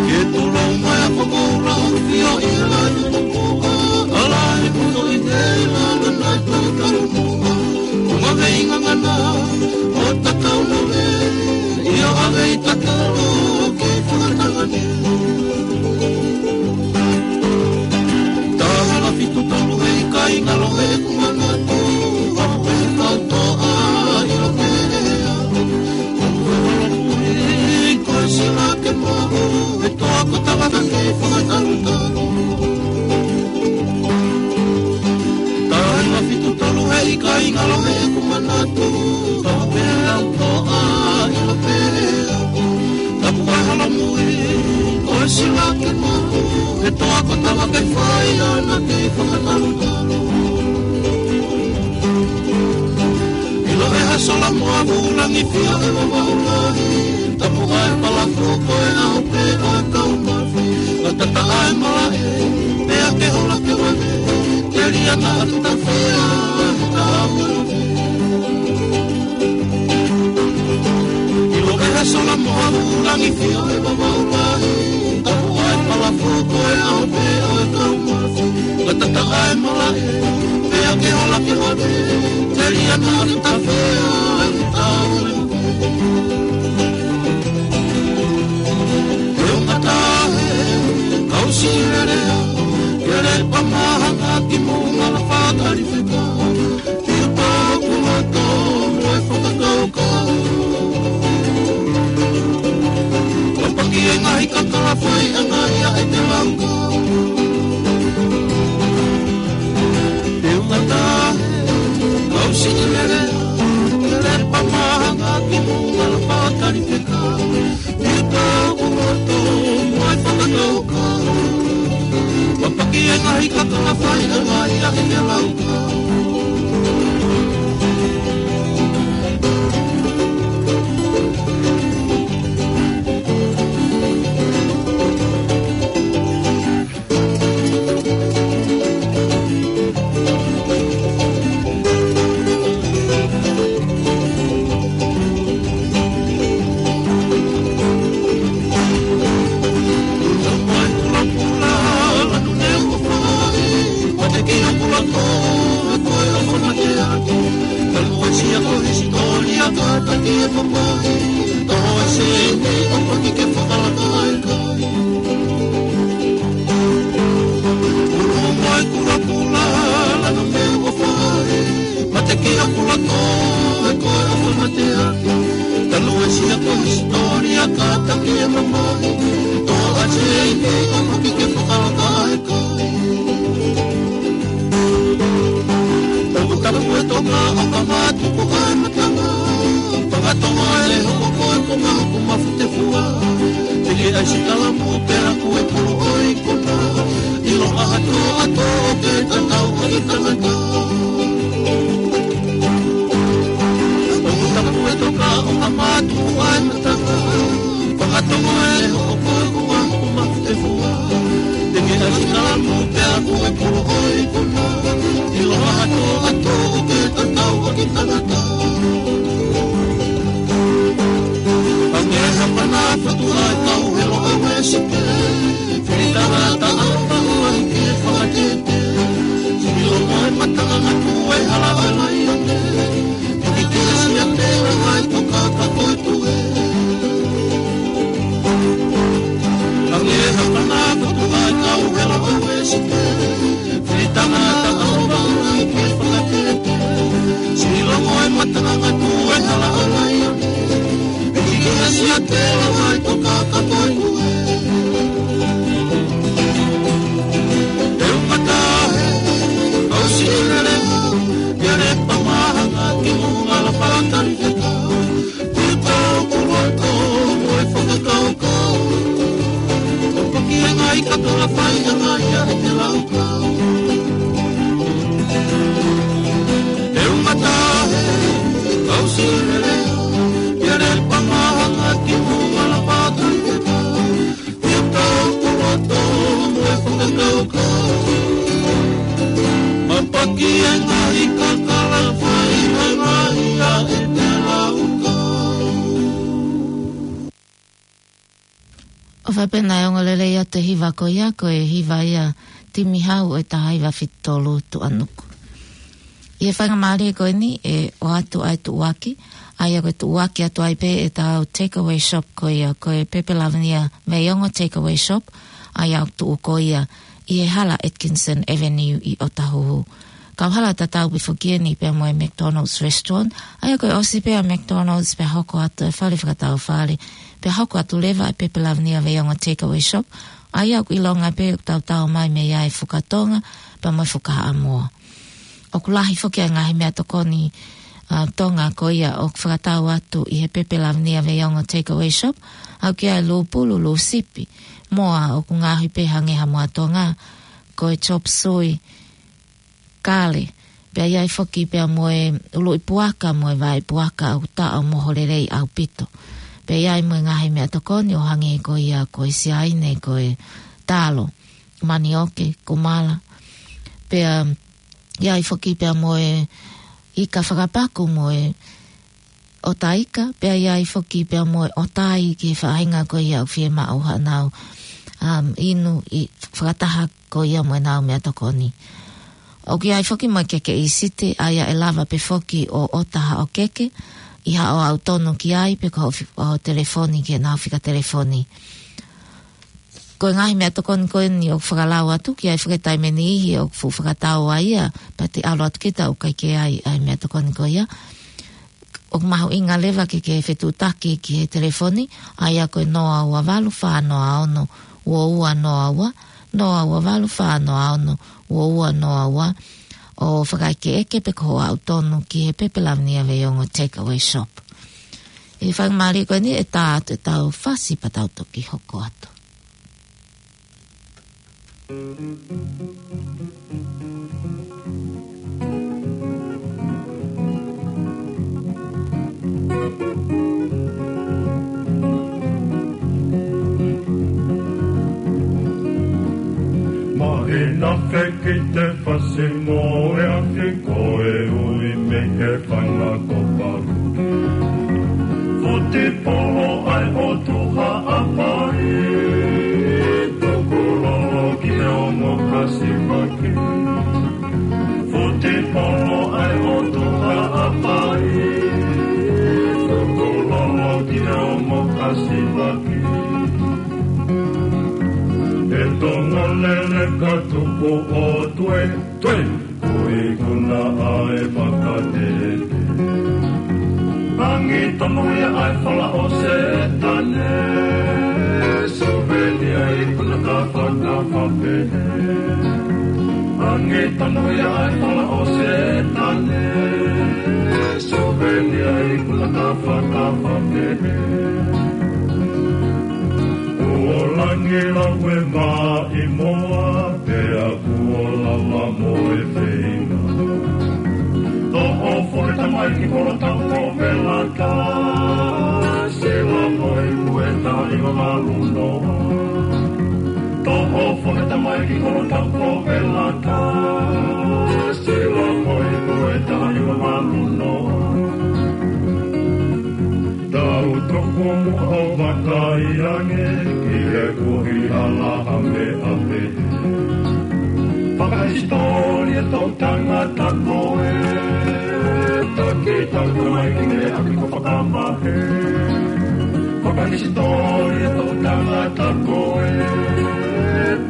Ke tolo mai a kokoula ʻo fio ʻi he lahi mokoa, ʻa lahi mono ʻi he ila lana tau talo mua. Ko ngave i ngangana, ʻo tatau no le, ʻio ʻave i tatalo ke fakatangane. Taha fitu tolu he ʻikai ngalo he ʻeku manatu, ʻa e kau toa ʻi lo pea. Ko e sila ke maʻu, e toa ko tava ka ke fakatalutalu. Taha fitu tolu he ʻikai ngalo he ʻeku manatu, ʻa e kau toa ʻi lo pea. Tapu ʻa e halamui, ko e sila ke maʻu, e toa ko tava ke fai ʻana ke fakatalutalu. ʻIlo ʻe ha sola mo ha vulangi fio ʻe vavau lahi, tapu ʻa e palafu ko e ʻaho pē ʻo e kau mafi, ʻa tata ʻa e malaʻe, pea ke hola ke vave, ke liana atu ta fea, ta ʻilo ʻe ha sola mo ha vulangi fio ʻe vavau lahi, tapu ʻa e palafu ko e ʻaho pē ʻo e kau mafi, ʻa tata ʻa e malaʻe, pea ke hola ke vave, ke liana atu ta fea, ta ʻilo. He ʻo ngata he, kau si lelea, ke le pamaha ngā ki mou ngala fakatali feka. Pio pau ku loto mo e fakakaukau. Papaki e ngaahi kakala fai ʻa ngaahi ʻa e te laukau. Te u ngata he, kau si lelea, ke le pamaha ngā ki mou ngala fakatali feka. Pio pau ku loto mo e fakakaukau. Papaki e ngaahi kakala fai ʻa ngaahi ʻa e te laukau. Mate ki aku lato, e koe ʻofa mateaki. Talu e sia ko hisitōlia ka taki e mamahi. Tō a seini o maki ke fakalaka e kai. Tapu tapu e toka o ka matuku ai matanga. Fakatonga e hoko koe ko mahu ko mafu te fua. Te ke ai si kalamu pea ku e pulu o i kona. ʻIlo ʻaha tō a tō ke tatau a i tangata. ʻO ka tapu e toka o ka matuku ai matanga. Fakatonga e hoko koe ko mahu ko mafu te fua. Te ke ai si kalamu pea ku e pulu o i kona. ʻIlo ʻaha tō a tō ke tatau a i tangata. Ange hapana fatu ai kau helo a wesike. Fili tangata au mahu ai ke fakatete. Sili o moe matanga ngatu e hala a laione. Fili ke asia te o ai toka ka koe tue. Ange hapana fatu ai kau helo a wesike. Fili tangata au mahu ai ke fakatete. Sili o moe matanga ngatu e hala a laione. Piki ke asia te o ai toka ka koe tue. Te u matahe, kau si lele, ke le pamahanga ki mou ngala fakatali feka. Te u tau ku loto, mo e fakakaukau. Ko paki e ngai katola fai a ngai a e te laukau. Te u matahe, kau si lele, ke le pamahanga ki mou ʻOfa pē naʻe ongo lelei atu e hiva ko ia, ko e hiva ia Timi Hau ʻo e taha hiva fitu tolu Tuʻanuku. ʻI he faingamālie ko eni ʻe ʻoatu ai e tuʻuaki, ʻa ia ko e tuʻuaki atu ai pē ʻetau takeaway shop ko ia, ko e Pepe Lavinia Veiongo Takeaway Shop, ʻa ia ʻoku tuʻu ko ia ʻi he hala Atkinson Avenue ʻi ʻOtahuhu. Kau hala tatau pē foki eni pea mo e McDonald's Restaurant, ʻa ia ko e ʻosi pē ʻa e McDonald's pea hoko atu e fale fakatau fale, pea hoko atu leva e Pepe Lavinia Veiongo Takeaway Shop, ʻa ia ʻoku ʻilonga pē ʻoku tautau mai mei ai e fuka Tonga, pea mo e fuka Haʻamoa. ʻOku lahi foki ʻa e ngaahi meʻatokoni, ʻa, Tonga ko ia ʻoku fakatau atu ʻi he Pepe Lavinia Veiongo Takeaway Shop, ʻa ia ko e lūpulu, lūsipi, moa ʻoku ngaohi pē hangē ha moa Tonga, ko e chop suey, kale. Pea ʻi ai foki pea mo e ʻuluʻi puaka, mo e vaʻe puaka ʻoku taʻo moho lelei ʻaupito. Pea ʻi ai mo e ngaahi meʻatokoni ʻo hangē ko ia ko e siaine, ko e talo, manioke, kumala. Pea ʻi ai foki pea mo e ika fakapaku mo e ʻota ika, pea ʻi ai foki pea mo e ʻota ai ki he faʻahinga ko ia ʻoku fiemaʻu haʻanau, um, inu ʻi fakataha ko ia mo ʻenau meʻatokoni. ʻOku ʻi ai foki mo e keke ʻīsite, ʻa ia ʻe lava pē foki ʻo ʻota haʻo keke, ʻi haʻo ʻautonu ki ai pe ko hoʻo fi-, hoʻo telefoni ki heʻenau fika telefoni. Ko e ngaahi meʻatokoni ko eni ʻoku fakalau atu, ʻoku ʻi ai foki e taimi ʻe niʻihi ʻoku fuʻu fakatau ai ia, pea te ʻalu atu kita ʻoku ʻikai ke ʻi ai ʻa e meʻatokoni ko ia. ʻOku mahuʻinga leva ke ke fetuʻutaki ki he telefoni, ʻa ia ko e noa ua valu fā noa ono ua ua noa ua, noa ua valu fā noa ono ua ua noa ua, ʻo fakaʻekeʻeke pe ko hoʻo ʻautonu ki he Pepe Lavinia Veiongo Takeaway Shop. ʻI he faingamālie ko eni ʻe tā atu ʻetau fasi pea tau toki hoko atu. Mahina feki te fasi mo e afi ko e ui mei he fanga ko palu. Futi polo ai o tuha a pai, tuku lolo ki he ongo kasivaki. Futi polo ai o tuha a pai, tuku lolo ki he ongo kasivaki. E Tonga lele ka tuku o tue, tue. Ko e ikuna ʻa e fakatete. Angi tonu ia ʻa e fala ʻo Setane. Suvenia ikuna ka fakafapehe. Angi tonu ia ʻa e fala ʻo Setane. Suvenia ikuna ka fakafapehe. Kuo langi lau e maʻi moa, pea kuo lava mo e feinga. Toʻo foʻi tamaiki kolo tau ko Melaka, sila mo e kueta i mamalu noa. Toʻo foʻi tamaiki kolo tau ko Melaka, sila mo e kueta i mamalu noa. Tau toko muʻa ʻo vakai ange ki he kuohila ha meʻa pehē. Fakahisitōlia toʻu tangata ko ē, taki tau tamaiki mei he ʻapi ko Fakamahe. Fakahisitōlia toʻu tangata ko ē,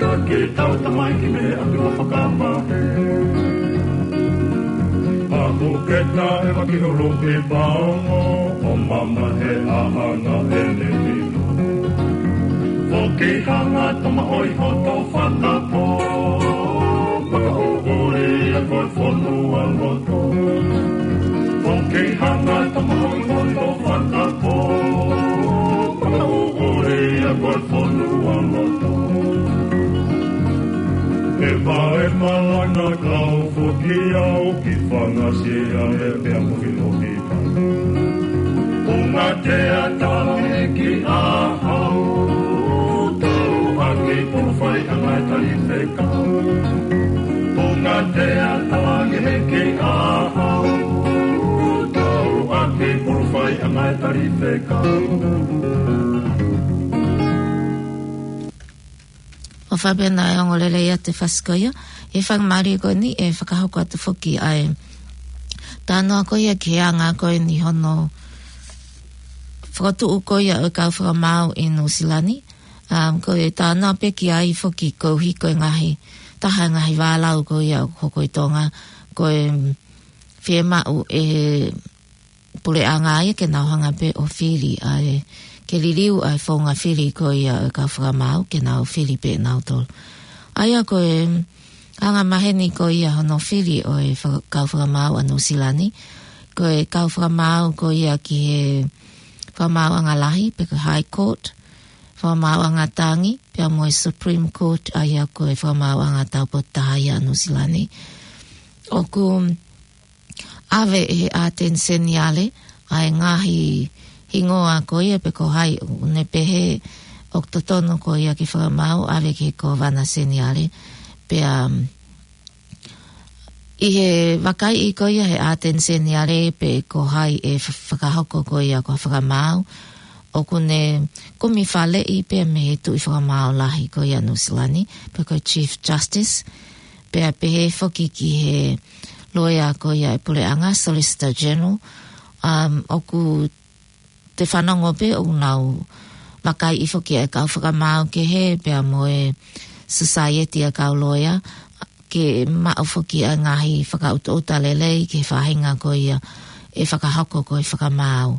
taki tau tamaiki mei he ʻapi ko Fakamahe. Haku ke taʻe maki holo ke paongo, ʻo mamahe ʻa hanga ʻene mino. Foki hanga tama ʻoi hoto fakapō, makaʻuʻuli ʻa ko e fonua loto. Foki hanga tama ʻoi hoto fakapō, makaʻuʻuli ʻa ko e fonua loto. E vaʻe malanga kau foki au ki Fangasia e pea mo Filihoa. Punga te atala e ki a hau, tau ake pulu fai anga e tali fekau. Punga te atala e ki a hau, tau ake pulu fai anga e tali fekau. Faʻa pehē naʻe ongo lelei atu e fasi ko ia, ʻi he faingamālie ko eni ʻe fakahoko atu foki ʻa e talanoa ko ia ki he anga ko eni hono fokotuʻu ko ia ʻo e kau fakamaau ʻi Nuʻusila ni. Um, ko e talanoa pē ki ai foki koeʻuhi ko e ngaahi, taha e ngaahi vālau ko ia ʻoku hoko ʻi Tonga, ko e fiemaʻu ʻe he puleʻanga ia ke nau hanga pē ʻo fili ʻa e, ke liliu ʻa e founga fili ko ia ʻo e kau fakamaau, ke nau fili pē nautolu. ʻA ia ko e anga maheni ko ia hono fili ʻo e faka-, kau fakamaau ʻa Nuʻusila ni, ko e kau fakamaau ko ia ki he fakamaauʻanga lahi, pe ko e High Court, fakamaauʻanga tangi, pea mo e Supreme Court, ʻa ia ko e fakamaauʻanga taupotu taha ia ʻa Nuʻusila ni. ʻOku ʻave ʻe he ʻAteni Seniale ʻa e ngaahi hingoa ko ia pe ko hai ʻoku ne pehē ʻoku totonu ko ia ke fakamaau, ʻave ki he Kōvana Seniale. Pea, um, ʻi he vakaiʻi ko ia he ʻAteni Seniale pe ko hai ʻe fa-, fakahoko ko ia ko e fakamaau, ʻoku ne kumi faleʻi pea mei he Tuʻi Fakamaau Lahi ko ia Nuʻusila ni, pe ko e Chief Justice, pea pehē foki ki he loea ko ia e puleʻanga, Solicitor General, um, ʻoku te fanongo pē ʻoku nau vakaiʻi foki e kau fakamaau kehe pea mo e society ʻa e kau loea, ke maʻu foki ʻa e ngaahi fakaʻutoʻuta lelei ki he faʻahinga ko ia ʻe fakahoko ko e fakamaau.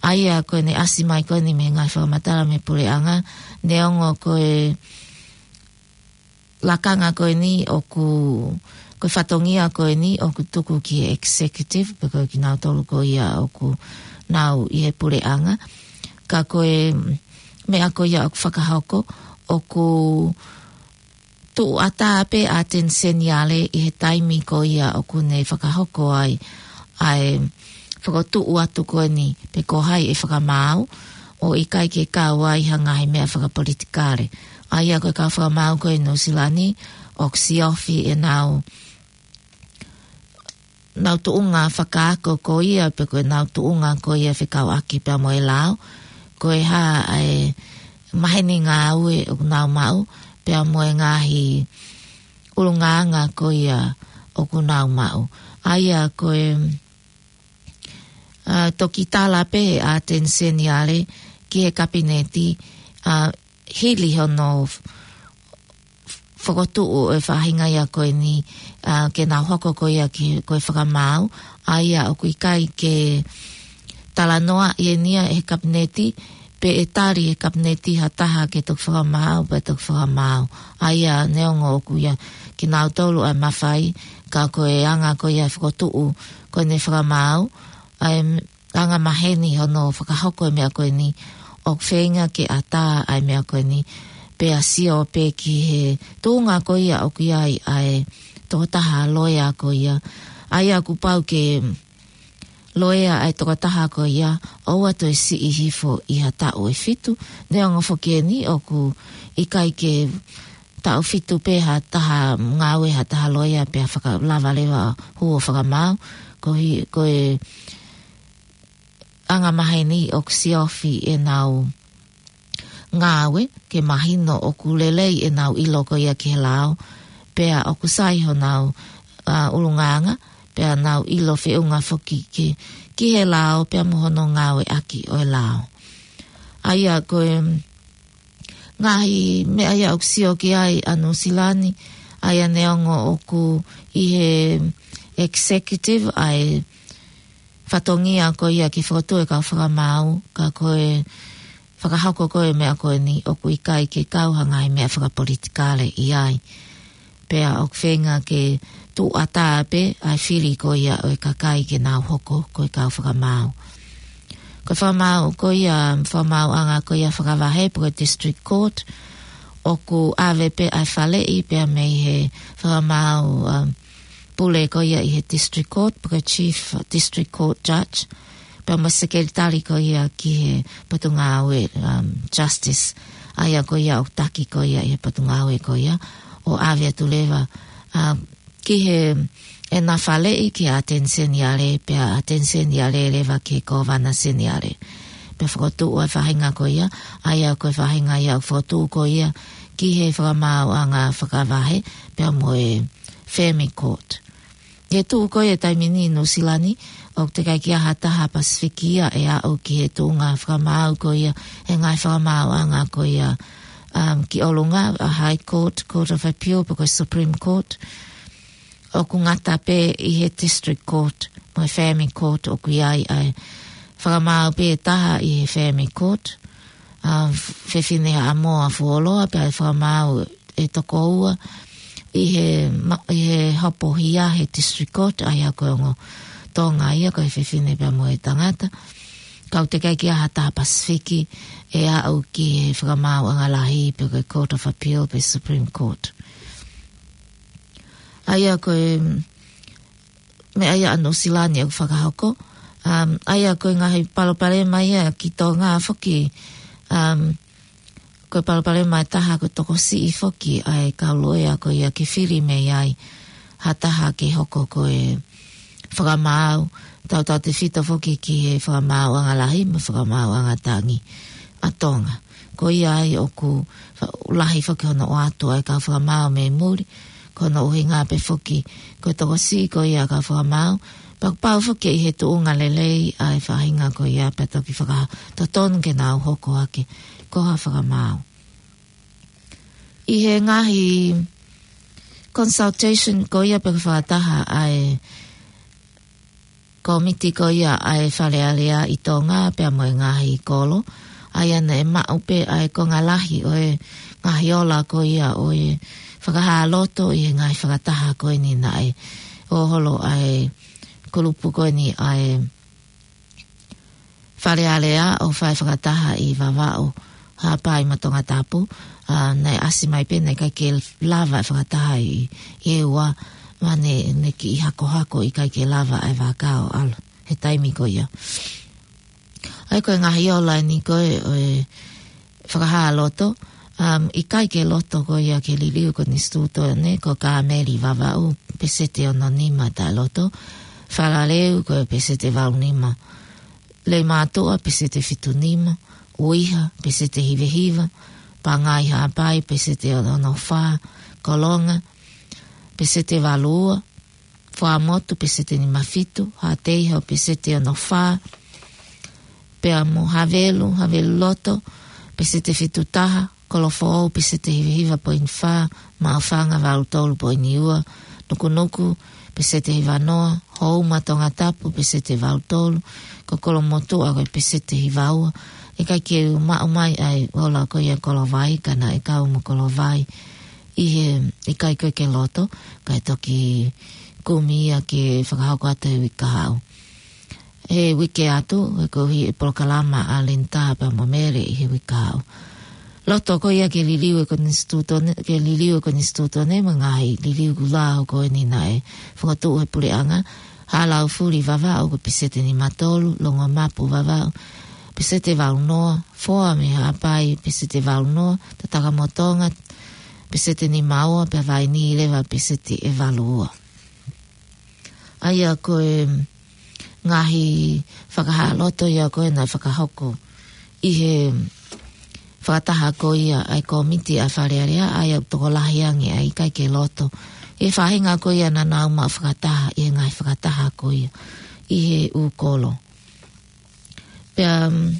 ʻA ia ko ʻene ʻasi mai ko eni mei he ngaahi fakamatala mei he puleʻanga, neongo ko e lakanga ko eni ʻoku, ko e fatongia ko eni ʻoku tuku ki he executive, pe ko kinautolu ko ia ʻoku nau ʻi he puleʻanga. Ka ko e meʻa ko ia ʻoku fakahoko, ʻoku tuʻu ʻatā pē ʻAteni Seniale ʻi he taimi ko ia ʻoku ne fakahoko ai ʻa e fokotuʻu atu ko eni pe ko hai ʻe fakamaau, ʻo ʻikai ke kau ai ha ngaahi meʻa fakapolitikale. ʻA ia ko e kau fakamaau ko ē ʻi Nuʻusila ni, ʻoku siofi ʻenau, nau tuʻunga fakaako ko ia, pe ko ʻenau tuʻunga ko ia fekauʻaki pea mo e lao, ko e hā ʻa e maheni ngāue ʻoku nau maʻu, pea mo e ngaahi ʻulungaanga ko ia ʻoku nau maʻu. ʻA ia ko e, ʻa, toki tala pē ʻAteni Seniale ki he kapineti, ʻa, hili hono f-, f-, fokotuʻu e faʻahinga ia ko eni, ʻa, ke nau hoko ko ia ki, ko e fakamaau, ʻa ia ʻoku ʻikai ke talanoaʻi eni ia ʻe he kapineti, pe ʻe tali ʻe he kapineti ha taha ke toki fakamaau, pe toki fakamaau. ʻA ia neongo ʻoku ʻia kinautolu ʻa e mafai, ka ko e anga ko ia fokotuʻu ko eni fakamaau, ʻa e m-, anga maheni hono fakahoko e meʻa ko eni, ʻoku feinga ke ʻatā ʻa e meʻa ko eni, pea sio pē ki he tuʻunga ko ia ʻoku ʻi ai ʻa e tokotaha loea ko ia. ʻA ia kuo pau ke loea ʻa e tokotaha ko ia, ʻoua toe siʻi hifo ʻi ha taʻu ʻe fitu, neongo foki eni ʻoku ʻikai ke taʻu fitu pē ha taha ngāue ha taha loea pea fakalava leva hū ʻo fakamaau, koeʻuhi, ko e anga maheni ʻoku siofi ʻenau ngāue, ke mahino ʻoku lelei ʻenau ʻilo ko ia ki he lao, pea ʻoku sai honau, ʻa, ʻulungaanga, pea nau ʻilo feʻunga foki ki, ki he lao, pea mo hono ngāueʻaki ʻo e lao. ʻA ia ko e ngaahi meʻa ia ʻoku sio ki ai ʻa Nuʻusila ni, ʻa ia neongo ʻoku ʻi he executive ʻa e fatongia ko ia ke fokotuʻu e kau fakamaau, ka ko e fakahoko ko e meʻa ko eni ʻoku ʻikai ke kau ha ngaahi meʻa fakapolitikale ʻi ai. Pea ʻoku feinga ke tuʻu ʻatā pē ʻa e fili ko ia ʻo e kakai ke nau hoko ko e kau fakamaau. Ko e fakamaau ko ia, fakamaauʻanga ko ia fakavahe pe ko e District Court, ʻoku ʻave pē ʻa e faleʻi pea mei he fakamaau, um, pule ko ia ʻi he District Court, pe ko e Chief District Court Judge, pea mo e Sekelitali ko ia ki he Potungāue, um, Justice, ʻa ia ko ia ʻoku taki ko ia ʻi he Potungāue ko ia, ʻo ʻave atu leva, um, ki he ʻena faleʻi ki he ʻAteni Seniale, pea ʻAteni Seniale leva ki he Kōvana Seniale. Pea fokotuʻu ʻa e faʻahinga ko ia, ʻa ia ko e faʻahinga ia ʻoku fokotuʻu ko ia ki he fakamaauʻanga fakavahe, pea mo e Family Court. ʻI he tuʻu ko ia e taimi ni ʻi Nuʻusila ni, ʻoku teʻeki ai ke ʻi ai ha taha Pasifiki ia ʻe aʻu ki he tuʻunga fakamaau ko ia, he ngaahi fakamaauʻanga ko ia, um, ki ʻolunga, a High Court, Court of Appeal, pe ko e Supreme Court. ʻOku ngata pē ʻi he District Court, mo e Family Court ʻoku ʻi ai ʻa e fakamaau pē taha ʻi he Family Court, a, fefine Haʻamoa fuoloa pea ʻe fakamaau ʻe toko ua ʻi he ma-, ʻi he hopo hia he District Court, ʻa ia ko e ongo Tonga ia ko e fefine pea mo e tangata. Ka ʻoku teʻeki ai ke ʻi ai ha taha Pasifiki ʻe aʻu ki he fakamaauʻanga lahi pe ko e Court of Appeal pe Supreme Court. ʻA ia ko e meʻa ia ʻa Nuʻusila ni ʻoku fakahoko. Um, ʻa ia ko e ngaahi palopalema ia ki Tonga foki, um, ko e palopalema ʻe taha ko e tokosiʻi foki ʻa e kau loea ko ia ke fili mei ai ha taha ke hoko ko e fakamaau, tautautefito foki ki he fakamaauʻanga lahi mo e fakamaauʻanga tangi ʻa Tonga. Ko ia ai ʻoku fa-, lahi foki hono ʻoatu ʻa e kau fakamaau mei muli, ko hono ʻuhinga pē foki ko e tokosiʻi ko ia kau fakamaau, pea kuo pau foki ʻi he tuʻunga lelei ʻa e faʻahinga ko ia pea toki fakatotonu ke nau hoko hake ko ha fakamaau. ʻI he ngaahi consultation ko ia pe ko e fakataha ʻa e kōmiti ko ia ʻa e Fale Alea ʻi Tonga pea mo e ngaahi kolo, ʻa ia naʻe maʻu pē ʻa e konga lahi ʻo e ngaahi ola ko ia ʻo e fakahā loto ʻi he ngaahi fakataha ko eni naʻe ʻo holo ʻa e kulupu ko eni ʻa e Fale Alea ʻo fai fakataha ʻi Vavaʻu, Haʻapai mo Tongatapu, a, naʻe ʻasi mai pē naʻe ʻikai ke lava e fakataha ʻi, ʻi ʻEua, ma ne, ne kiʻi hakohako ʻikai ke lava e vaka ʻo ʻalu he taimi ko ia. ʻA ia ko e ngaahi ola eni ko e, ʻo e fakahā loto, um, ʻikai ke loto ko ia ke liliu konisitūtone, ko Kāmeli Vavaʻu, peseti ono nima taʻe loto, Falaleu ko e peseti valu nima, Leimātuʻa, peseti fitu nima, ʻUiha, peseti hiva hiva, Pangai Haʻapai, peseti ono fā, Kolonga, peseti valu ua, Fuaʻamotu, peseti nima fitu, Haʻateiho, peseti ono fā, pea mo Havelu, Havelu Loto, peseti fitu taha, Kolofoʻou, peseti hiva hiva poini fā, Maʻufanga, valu tolu poini ua, Nukunuku, peseti hiva noa, Houma, Tongatapu, peseti valu tolu, ko Kolomotuʻa ko e peseti hiva ua. ʻIkai ke u maʻu mai ʻa e ola ko ia Kolovai, ka naʻe kau mo Kolovai ʻi he ʻikai ko ē ke loto, kae toki kumi ia ke fakahoko atu he uike kahaʻu. He uike atu, he koeʻuhi e polokalama ʻa Linda pea mo Mele ʻi he uike kahaʻu. Loto ko ia ke liliu e konisitūtone, ke liliu e konisitūtone mo e ngaahi liliu kuo lava ko eni naʻe fakatuʻu he puleʻanga, Haʻalaufuli Vavaʻu ko e peseti nima tolu, Longomapu Vavaʻu, peseti valu noa, Foa mei Haʻapai, peseti valu noa, Tatakamoa Tonga, peseti nima ua, pea Vainī leva peseti ʻe valu ua. ʻA ia ko e ngaahi fakahā loto ia ko ē naʻe fakahoko ʻi he fakataha ko ia ʻa e kōmiti ʻa e Fale Alea, ʻa ia ʻoku tokolahi ange ʻa e ʻikai ke loto. ʻI he faʻahinga ko ia naʻa nau maʻu fakataha ʻi he ngaahi fakataha ko ia ʻi he ʻū kolo. Pea, um,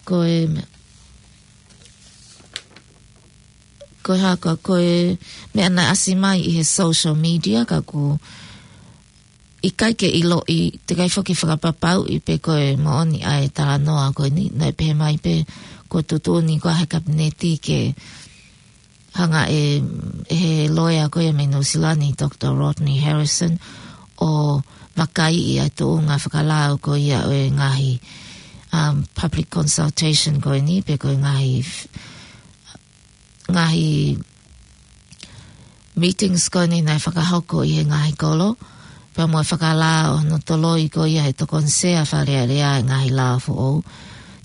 ko e, ko e hā, ko e meʻa naʻe ʻasi mai ʻi he social media, ka ʻoku ʻikai ke ʻiloʻi, teʻeki ai foki fakapapauʻi pe ko e moʻoni ʻa e talanoa ko eni, naʻe pehē mai pē kuo tuʻutuʻuni ko ē ʻe he Kapineti ke hanga ʻe, ʻe he loea ko ia mei Nuʻusila ni, Doctor Rodney Harrison, ʻo vakaiʻi ʻa e tuʻunga fakalao ko ia ʻo e ngaahi, um, public consultation ko eni, pe ko e ngaahi f-, ngaahi meetings ko eni naʻe fakahoko ʻi he ngaahi kolo, pea mo e fakalao hono toloi ko ia ʻe he Tokoni Sea Fale Alea e ngaahi lao foʻou.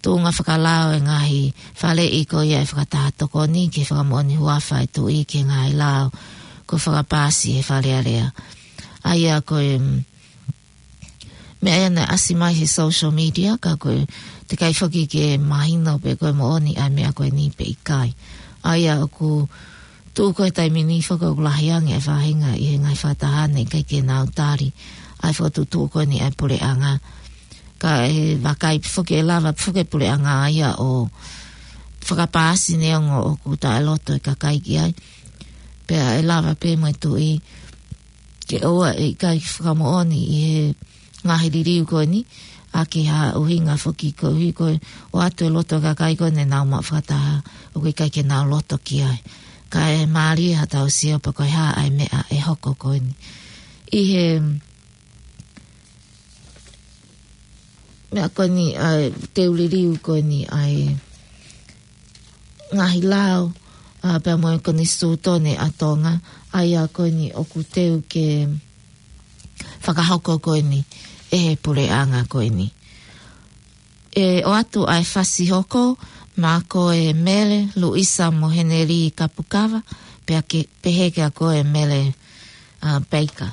Tuʻunga fakalao e ngaahi faleʻi ko ia ʻe he fakataha tokoni ke fakamoʻoni huafa e tuʻi ki he ngaahi lao kuo fakapaasi ʻe he Fale Alea. ʻA ia ko e, mm, meʻa ia naʻe ʻasi mai he social media, ka ko e teʻeki ai foki ke mahino pe ko e moʻoni ʻa e meʻa ko eni pe ʻikai. ʻA ia ʻoku tuʻu ko e taimi ni foki ʻoku lahi ange e faʻahinga ʻi he ngaahi fakataha ne ʻikai ke nau tali ʻa e fakatuʻutuʻu ko eni ʻa e puleʻanga. Ka ʻe vakai foki ʻe lava foki e puleʻanga ʻa ia ʻo fakapaasi neongo ʻoku taʻeloto e kakai ki ai. Pea ʻe lava pē mo e tuʻi ke ʻoua ʻe ʻikai fakamoʻoni ʻi he ngaahi liliu ko eni, ʻa ki ha ʻuhinga foki koeʻuhi ko e ʻoatu e loto e kakai ko eni ʻenau maʻu fakataha, ʻoku ʻikai ke nau loto ki ai. Ka ʻe mālie haʻatau sio pe ko e hā ʻa e meʻa ʻe hoko ko eni. ʻI he meʻa ko eni ʻa e teu liliu ko eni ʻa e ngaahi lao, ʻa, pea mo e konisitūtone ʻa Tonga, ʻa ia ko eni ʻoku teu ke fakahoko ko eni ʻe he puleʻanga ko eni. ʻE ʻoatu ʻa e fasi hoko, maʻa ko e Mele, Luisa mo Heneli Kapukava, pea ke, pehē kia koe Mele, ʻa, Peika.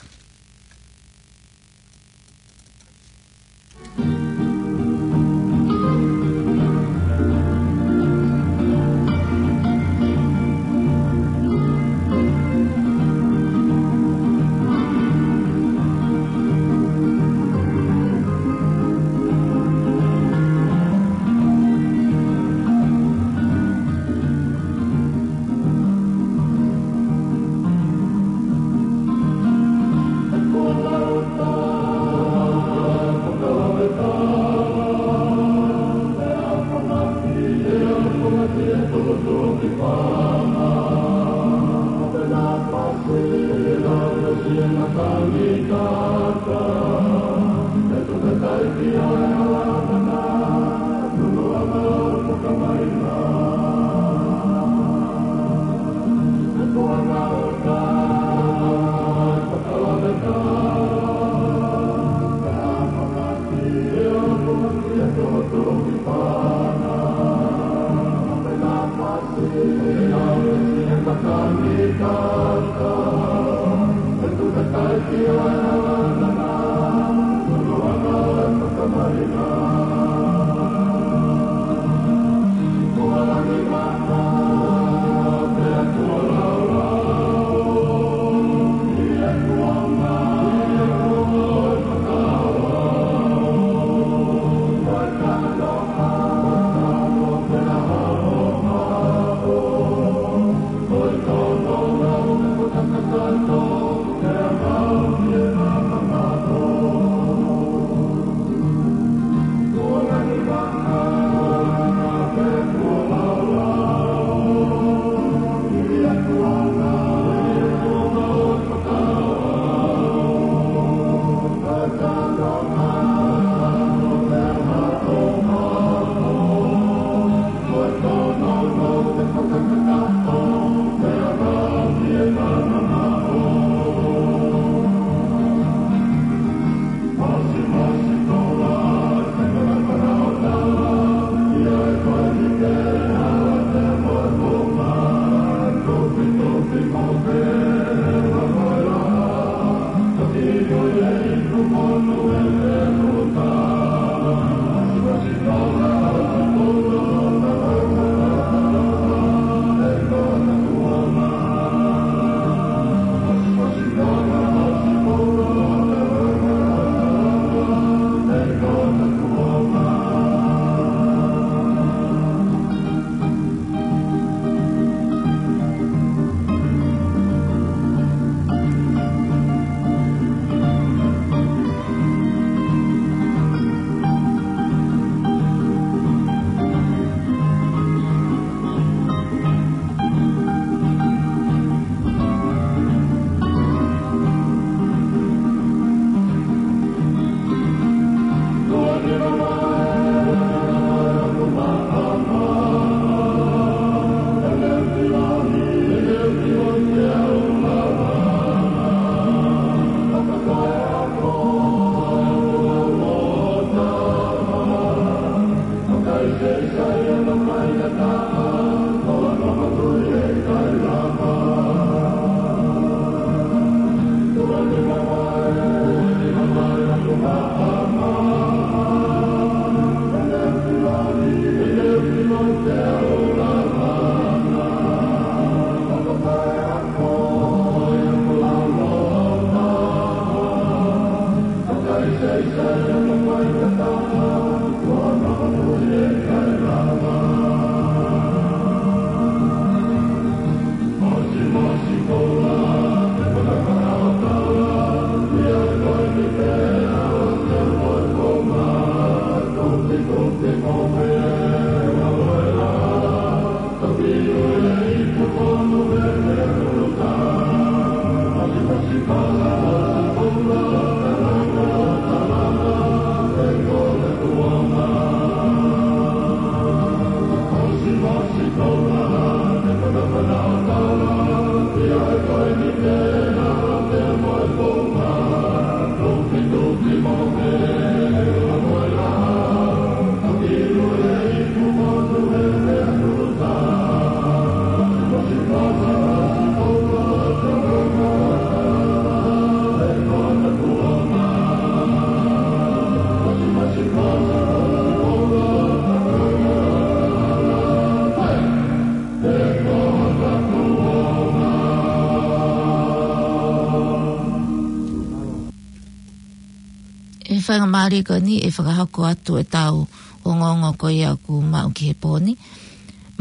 Faingamālie ko eni ʻe fakahoko atu ʻetau ongoongo ko ia ʻoku maʻu ki he pō ni.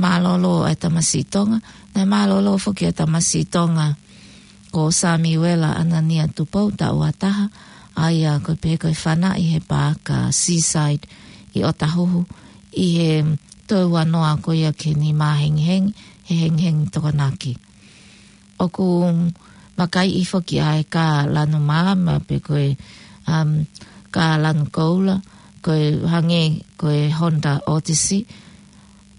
Mālōlō ʻa e tamasiʻi Tonga, naʻe mālōlō foki ʻa e tamasiʻi Tonga ko Samiuela ʻAnania Tupou, taʻu ua taha, ʻa ia ko e pehē ko e fānaʻi he paaka Seaside ʻi ʻOtahuhu, ʻi he toe ua noa ko ia ki he nima hengihengi, he hengihengi Tokonaki. ʻOku makaiʻi foki ʻa e kā lanu māma pe ko e, um, kā lanu koula, ko e hangē ko e Honda Odyssey,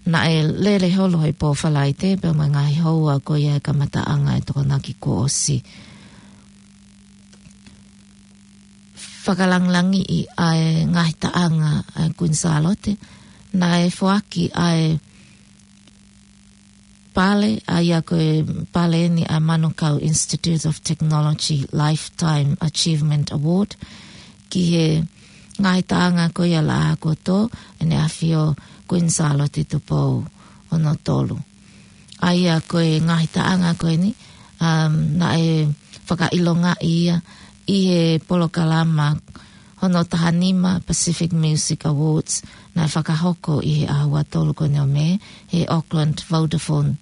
naʻe lele holo he pō Falaite pea mo e ngaahi houa ko ia he kamataʻanga e Tokonaki kuo ʻosi. Fakalangilangiʻi ʻa e ngaahi taʻanga ʻa e Kuini Sālote, naʻe foaki ʻa e pale, ʻa ia ko e pale eni ʻa e Manukau Institute of Technology Lifetime Achievement Award, ki he ngaahi taʻanga ko ia Laʻā kuo tō, ʻEne ʻAfio Kuini Sālote Tupou hono tolu. ʻA ia ko e ngaahi taʻanga ko eni, um, naʻe fakaʻilongaʻi ia ʻi he polokalama hono taha nima Pacific Music Awards, naʻe fakahoko ʻi he ʻaho ua tolu ko eni ʻo Mē, he Auckland Vodafone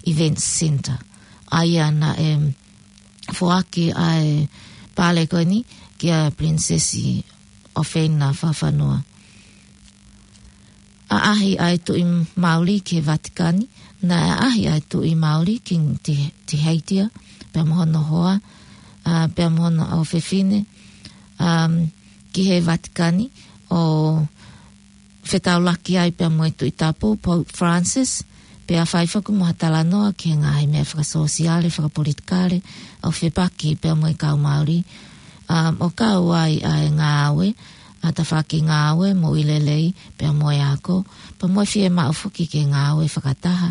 Events Centre. ʻA ia naʻe foaki ʻa e pale ko eni kia Pilinisesi ʻOfeina Fakafanua. ʻAʻahi ʻa e Tuʻi Māori ki he Vatikani, naʻe ʻaʻahi ʻa e Tuʻi Māori King Te-, Tēheitia, pea mo hono hoa, ʻa, pea mo hono ʻofefine, um, ki he Vatikani, ʻo fetaulaki ai pea mo e Tuʻi Tapu Pope Francis, pea fai foki mo ha talanoa ki he ngaahi meʻa fakasōsiale, fakapolitikale, ʻo fepaki pea mo e kau Māori, um, ʻo kau ai ʻa e ngāue, ʻa e tafaʻaki ngāue, moʻui lelei, pea mo e ako, pea mo e fiemaʻu foki ke ngāue fakataha,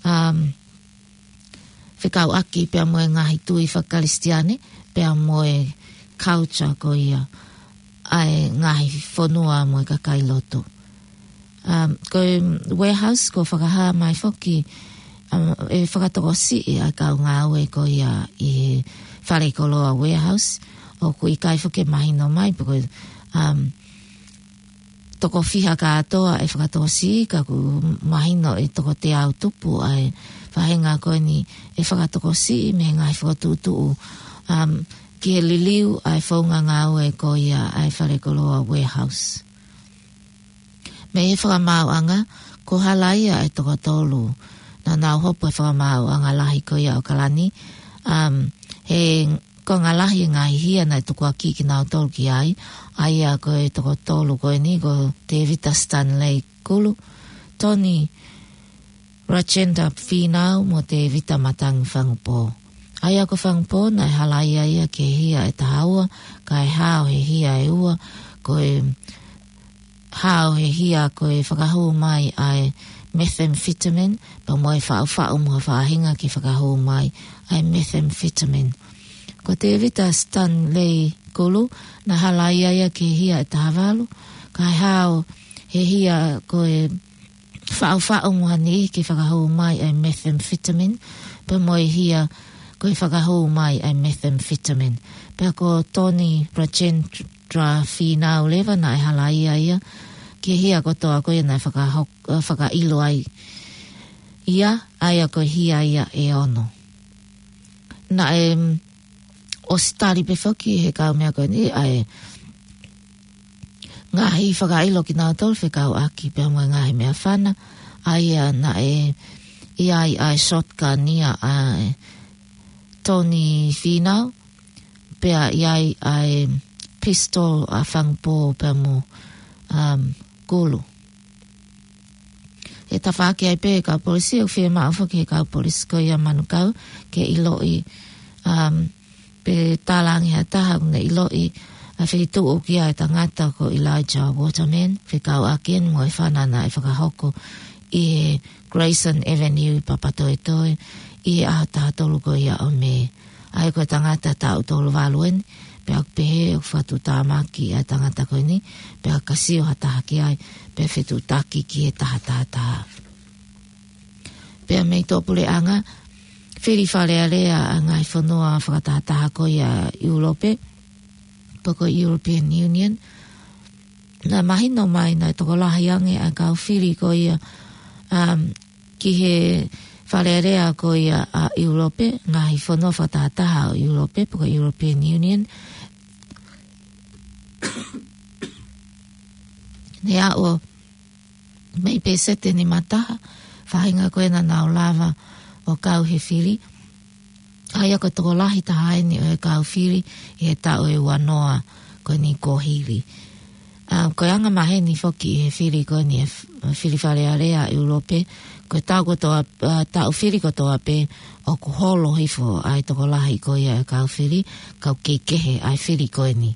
um, fekauʻaki pea mo e ngaahi tui fakakalisitiane, pea mo e culture ko ia ʻa e ngaahi fonua mo e kakai lotu. Um, ko e warehouse ko e fakahā mai foki, um, ʻe fakatokosiʻi ʻa e kau ngāue ko ia ʻi he fale koloa warehouse, ʻoku ʻikai foki mahino mai, pe ko e, um, toko fiha kātoa ʻe fakatokosiʻi, ka ʻoku mahino ʻe toko teau tupu ʻa e faʻahinga ko eni ʻe fakatokosiʻi mei he ngaahi fokotuʻutuʻu, um, ki he liliu ʻa e founga ngāue ko ia ʻa e fale koloa warehouse. Mei he fakamaauʻanga, ko Halaia ʻa e toko tolu naʻa nau hopo he fakamaauʻanga lahi ko ia ʻAokalani, um, he konga lahi e ngaahi hia naʻe tukuakiʻi kinautolu ki ai, ʻa ia ko e toko tolu ko eni ko Tevita Stanley Kulu, Tony Rajendra Finau mo Tevita Matangi Fangupō. ʻA ia ko Fangupō naʻe halaia ia ki he hia ʻe taha ua, kae hao he hia ʻe ua, ko e hao he hia ko e fakahū mai ʻa e methamphetamine, pea mo e faʻufaʻu mo ha faʻahinga ke fakahū mai ʻa e methamphetamine. Ko Tevita Stanley Kulu, naʻe halaia ia ki he hia ʻe taha valu, kae hao he hia ko e faʻufaʻu mo ha niʻihi ke fakahū mai ʻa e methamphetamine, pea mo e hia ko e fakahū mai ʻa e methamphetamine. Pea ko Tony Rajendra Finau leva naʻe halaia ia ki he hia kotoa ko ia naʻe fakahok-, eh, fakaʻilo ai ia, ʻa ia ko e hia ia ʻe ono. Naʻe, mm, ʻosi tali pē foki he kau meʻa ko eni ʻa e ngaahi fakaʻilo kinautolu fekauʻaki pea mo e ngaahi meʻafana, ʻa ia naʻe ʻi ai ʻa e shotgun ia ʻa e Tony Finau, pea ʻi ai ʻa e pistol ʻa Fangupō pea mo, um, Kulu. ʻE tafaʻaki ai pē kau polisi, ʻoku fiemaʻu foki he kau polisi ko ia Manukau ke ʻiloʻi, um, pe talaange ha taha ʻoku ne ʻiloʻi ʻa e feituʻu ʻoku ʻi ai e tangata ko Elijah Waterman, fekauʻaki eni mo e fana naʻe fakahoko ʻi he Grayson Avenue ʻi Papatoetoe ʻi he ʻaho taha tolu ko ia ʻo Mē. ʻA ia ko e tangata taʻu tolu valu eni, pea ʻoku pehē ʻoku fakatuʻutāmaki ʻa e tangata ko eni, pea ka sio ha taha ki ai, pea fetuʻutaki ki he taha taha taha. Pea mei tuʻapuleʻanga, fili Fale Alea ʻa e ngaahi fonua fakatahataha ko ia ʻIulope, pe ko e European Union. Naʻe mahino mai naʻe tokolahi ange ʻa e kau fili ko ia, um, ki he Fale Alea ko ia ʻa ʻIulope, ngaahi fonua fakatahataha ʻo ʻIulope, pe ko e European Union. Ne aʻu mei peseti ʻe nima taha, faʻahinga ko ē naʻa nau lava ʻo kau he fili. ʻA ia ko e tokolahi taha eni ʻo e kau fili ʻi he taʻu ʻe ua noa ko eni kuo hili. ʻA, ko e anga maheni foki ʻi he fili ko eni ʻa e f-, fili Fale Alea ʻIulope, ko e taʻu kotoa, ʻa, taʻu fili kotoa pē ʻoku holo hifo ʻa e tokolahi ko ia ʻo e kau fili, kau kehekehe ʻa e fili ko eni.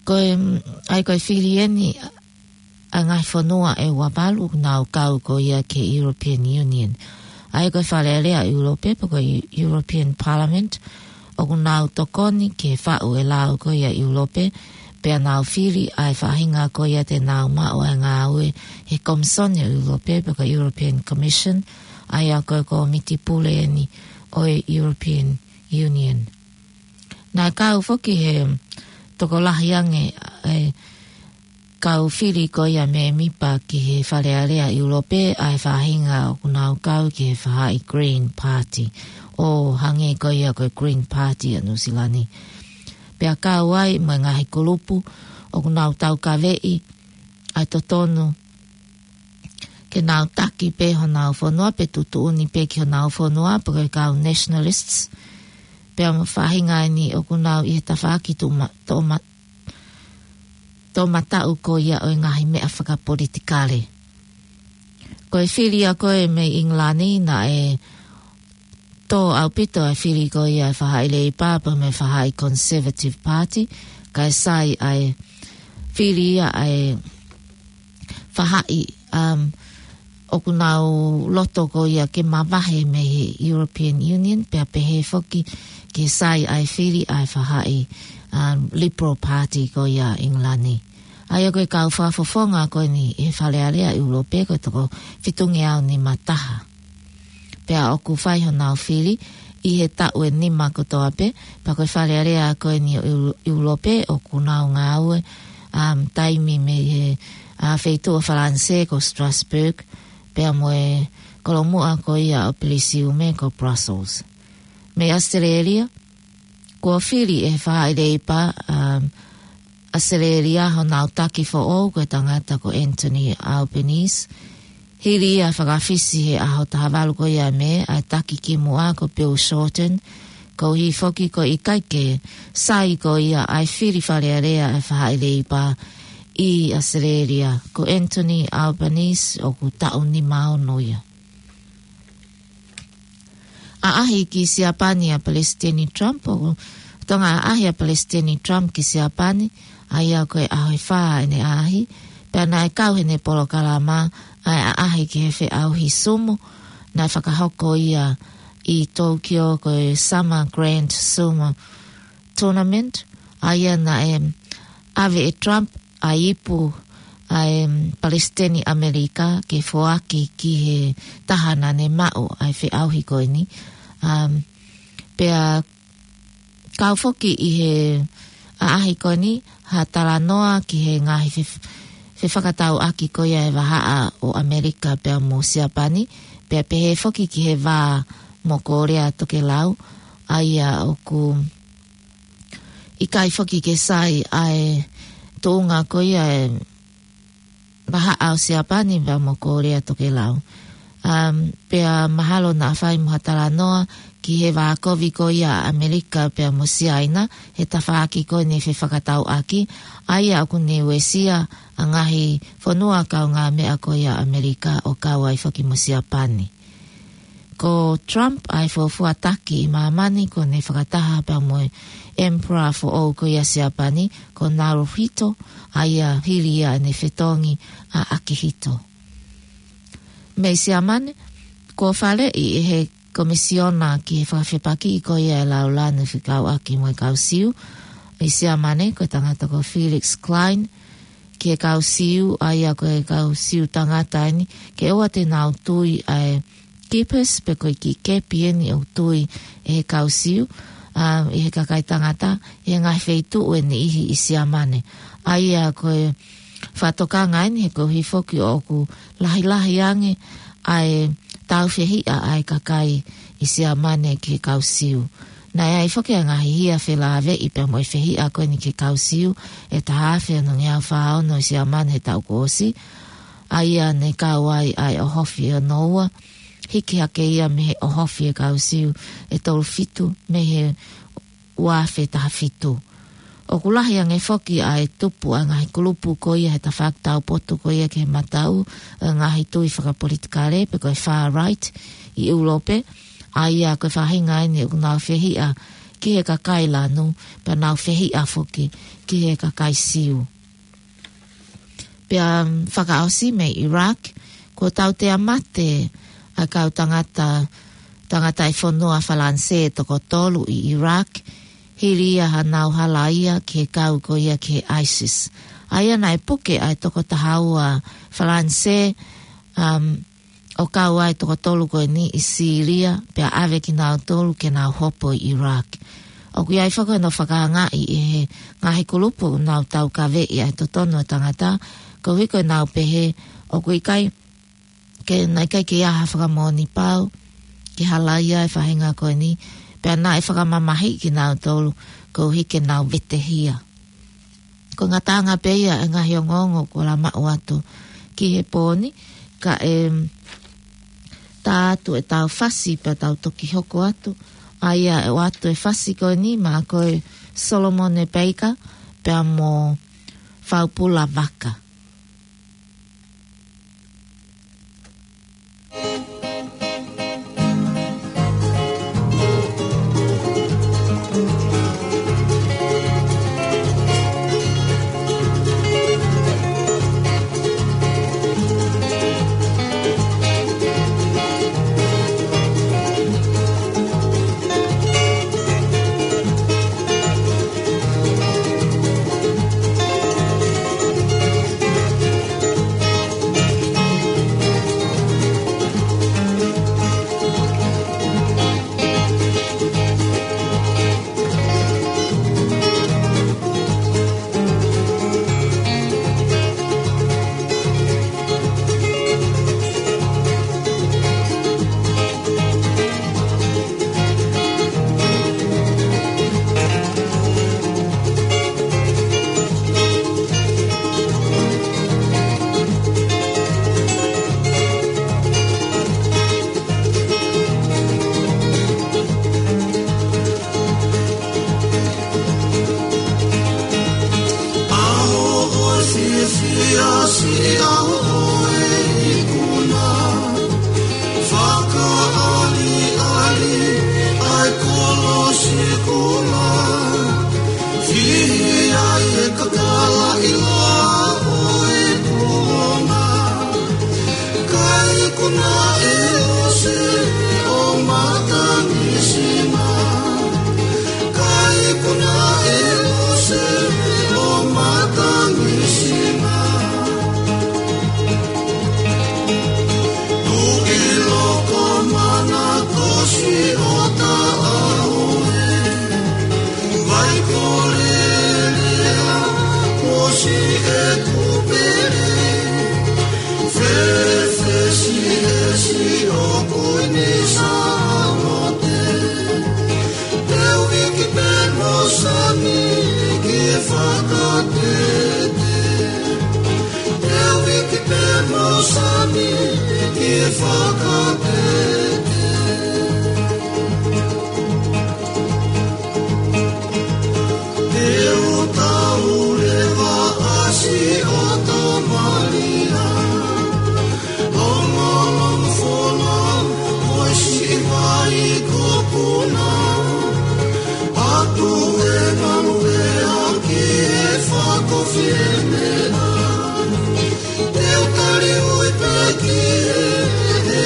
Ko e, mm, ʻa ia ko e fili eni, ʻa e ngaahi fonua ʻe ua valu ʻoku nau kau ko ia ki he European Union. ʻA ia ko e Fale Alea ʻIulope, pe ko e European Parliament, ʻoku nau tokoni ki he faʻu ʻe he lao ko ia ʻIulope, pea nau fili ʻa e faʻahinga ko ia te nau maʻu ʻa e ngāue he Komisoni ʻo ʻIulope, pe ko e European Commission, ʻa ia ko e kōmiti pule eni ʻo e European Union. Naʻe kau foki he tokolahi ange ʻa e kau fili ko ia mēmipa ki he Fale Alea ʻIulope ʻa e faʻahinga ʻoku nau kau ki he faʻahi Green Party, ʻo hangē ko ia ko e Green Party ʻa Nuʻusila ni. Pea kau ai mo e ngaahi kulupu ʻoku nau taukaveʻi ʻa e totonu ke nau taki pē honau fonua pe tuʻutuʻuni pē ki honau fonua pe ko e kau nationalists. Pea mo e faʻahinga eni ʻoku nau ʻi he tafaʻaki tuʻuma-, toʻoma-, toʻomataʻu ko ia ʻo e ngaahi meʻa fakapolitikale. Ko e fili ʻa ko ē mei ʻIngilani naʻe tō ʻaupito ʻa e fili ko ia ʻa e faʻahi Leipa pea mo e faʻahi Conservative Party, kae sai ʻa e fili ia ʻa e faʻahi, um, ʻoku nau loto ko ia ke mavahe mei he European Union, pea pehē foki ke sai ʻa e fili ʻa e faʻahi, um, Liberal Party ko ia ʻIngilani. ʻA ia ko e kau fakafofonga ko eni ʻi he Fale Alea ʻIulope ko e toko fitungeau nima taha. Pea ʻoku fai honau fili ʻi he taʻu ʻe nima kotoa pē, pea ko e Fale Alea ko eni ʻo ʻIu-, ʻIulope ʻoku nau ngāue, um, taimi mei he, ʻa, feituʻu ʻo Falanisē ko Strasbourg, pea mo e kolomuʻa ko ia ʻo Pelisiume ko Brussels. Mei ʻAositelēlia, kuo fili ʻe he faʻahi Leipa, um, ʻAositelēlia honau taki foʻou ko e tangata ko Anthony Albanese. Hili ia fakafisi he ʻaho taha valu ko ia ʻo Mē ʻa e taki kimuʻa ko Bill Shorten, koeʻuhi foki ko e ʻikai ke sai ko ia ʻa e fili Fale Alea ʻa e faʻahi Leipa ʻi ʻAositelēlia. Ko Anthony Albanese ʻoku taʻu nima ono ia. ʻAʻahi ki Siapani ʻa Palesiteni Trump, ʻoku tonga ʻaʻahi ʻa Palesiteni Trump ki Siapani, ʻa ia ko e ʻaho ʻe fā ʻene ʻaʻahi, pea naʻe kau heʻene polokalama ʻa e ʻaʻahi ki he feʻauhi sumo, naʻe fakahoko ia ʻi Tokyo ko e Summer Grand Sumo Tournament, ʻa ia naʻe ʻave ʻe Trump ʻa e ipu ʻa e, um, Palesiteni ʻAmelika ke foaki ki he taha naʻa ne maʻu ʻa e feʻauhi ko eni. Um, pea kau foki ʻi he ʻaʻahi ko eni ha talanoa ki he ngaahi fef-, fefakatauʻaki ko ia ʻa e vahaʻa ʻo ʻAmelika pea mo Siapani, pea pehē foki ki he vā mo Kōlea Tokelau, ʻa ia ʻoku ʻikai foki ke sai ʻa e tuʻunga ko ia ʻa e vahaʻa ʻo Siapani pea mo Kōlea Tokelau. Um, pea mahalo naʻa fai mo ha talanoa ki he vā kovi ko ia ʻa ʻAmelika pea mo Siaina, he tafaʻaki ko eni fefakatauʻaki, ʻa ia ʻoku ne uesia ʻa e ngaahi fonua kaungāmeʻa ko ia ʻa ʻAmelika ʻo kau ai foki mo Siapani. Ko Trump ʻa e fuofua taki ʻi māmani kuo ne fakataha pea mo e Emperor foʻou ko ia ʻa Siapani, ko Naruhito, ʻa ia hili ia ʻene fetongi ʻa ʻAkihito. Mei Siamane, kuo faleʻi ʻe he Komisiona ki he fakafepakiʻi ko ia ʻa e Laulanu fekauʻaki mo e kau Siu ʻi Siamane, ko e tangata ko Felix Klein, ki he kau Siu, ʻa ia ko e kau Siu tangata eni, ke ʻoua te nau tui ʻa e kipisi pe ko e kiʻi kepi eni ʻoku tui ʻe he kau Siu, ʻa, ʻi he kakai tangata, ʻi he ngaahi feituʻu ʻe niʻihi ʻi Siamane. ʻA ia ko e fakatokanga eni he koeʻuhi foki ʻoku lahilahi ange ʻa e tāufehiʻa ʻa e kakai ʻi Siamane ki he kau Siu. Naʻe ʻi ai foki ʻa e ngaahi hia felāveʻi pea mo e fehiʻa ko eni ki he kau Siu, ʻi he taha afe ono ngeau fā ono ʻi Siamane he taʻu kuo ʻosi, ʻa ia ne kau ai ʻa e ʻOhofi ʻe ono ua, hiki hake ia mei he ʻOhofi ʻa e kau Siu ʻe tolu fitu mei he ua afe taha fitu. ʻOku lahi ange foki ʻa e tupu ʻa e ngaahi kulupu ko ia he tafaʻaki taupotu ko ia ki he mataʻu ʻa e ngaahi tui fakapolitikale pe ko e far right ʻi ʻIulope, ʻa ia ko e faʻahinga eni ʻoku nau fehiʻa ki he kakai lanu, pea nau fehiʻa foki ki he kakai Siu. Pea, mm, fakaʻosi mei Iraq, kuo tautea mate ʻa e kau tangata, tangata ʻi he fonua Falanisē ʻe toko tolu ʻi Iraq, hili ia haʻanau halaia ki he kau ko ia ki he ISIS. ʻA ia naʻe puke ʻa e toko taha ua Falanisē, um, ʻo kau ai ʻa e toko tolu ko eni ʻi Sīlia, pea ʻave kinautolu ke nau hopo ʻi Iraq. ʻOku ʻi ai foki hono fakaangaʻi ʻe he ngaahi kulupu ʻoku nau taukaveʻi ʻa e totonu ʻo e tangata, koeʻuhi ko ʻenau pehē ʻoku ʻikai ke, naʻe ʻikai ke ʻi ai ha fakamoʻoni pau ke halaia e faʻahinga ko eni, pea naʻe fakamamahiʻi kinautolu koeʻuhi ke nau vetehia. Ko e ngataʻanga pē ia e ngaahi ongoongo kuo lava maʻu atu ki he pō ni, kae, mm, tā atu ʻetau fasi pea tau toki hoko atu. ʻA ia ʻe ʻoatu e fasi ko eni maʻa koe Solomone Peika pea mo Faupula Vaka. ʻAho ʻo e fiefia, siʻi ʻaho ʻo e ikuna. Fakaʻaliʻali ʻa e kolosi kula. Fihi ai e kakala ʻiloa ʻo e kulona. Ka ikuna ʻe ʻosi ʻo matangi sina. Ka ikuna ʻe ʻosi ʻo matangi sina. Tuʻi loko mana kosi ʻo taʻaoe. Vai kolelea, kosi e kupele. Fefesi e si o kuini salote. Teu iki pe mo sami ki fakatete. Teu iki pe mo sami ki fakatete. Te u tau leva ʻasi ʻo tō malia. Longolongo fola, ʻo e siʻi vai ko puna. Atu e malu e aki e fako fiemena. Te u tali ui pe ki he, he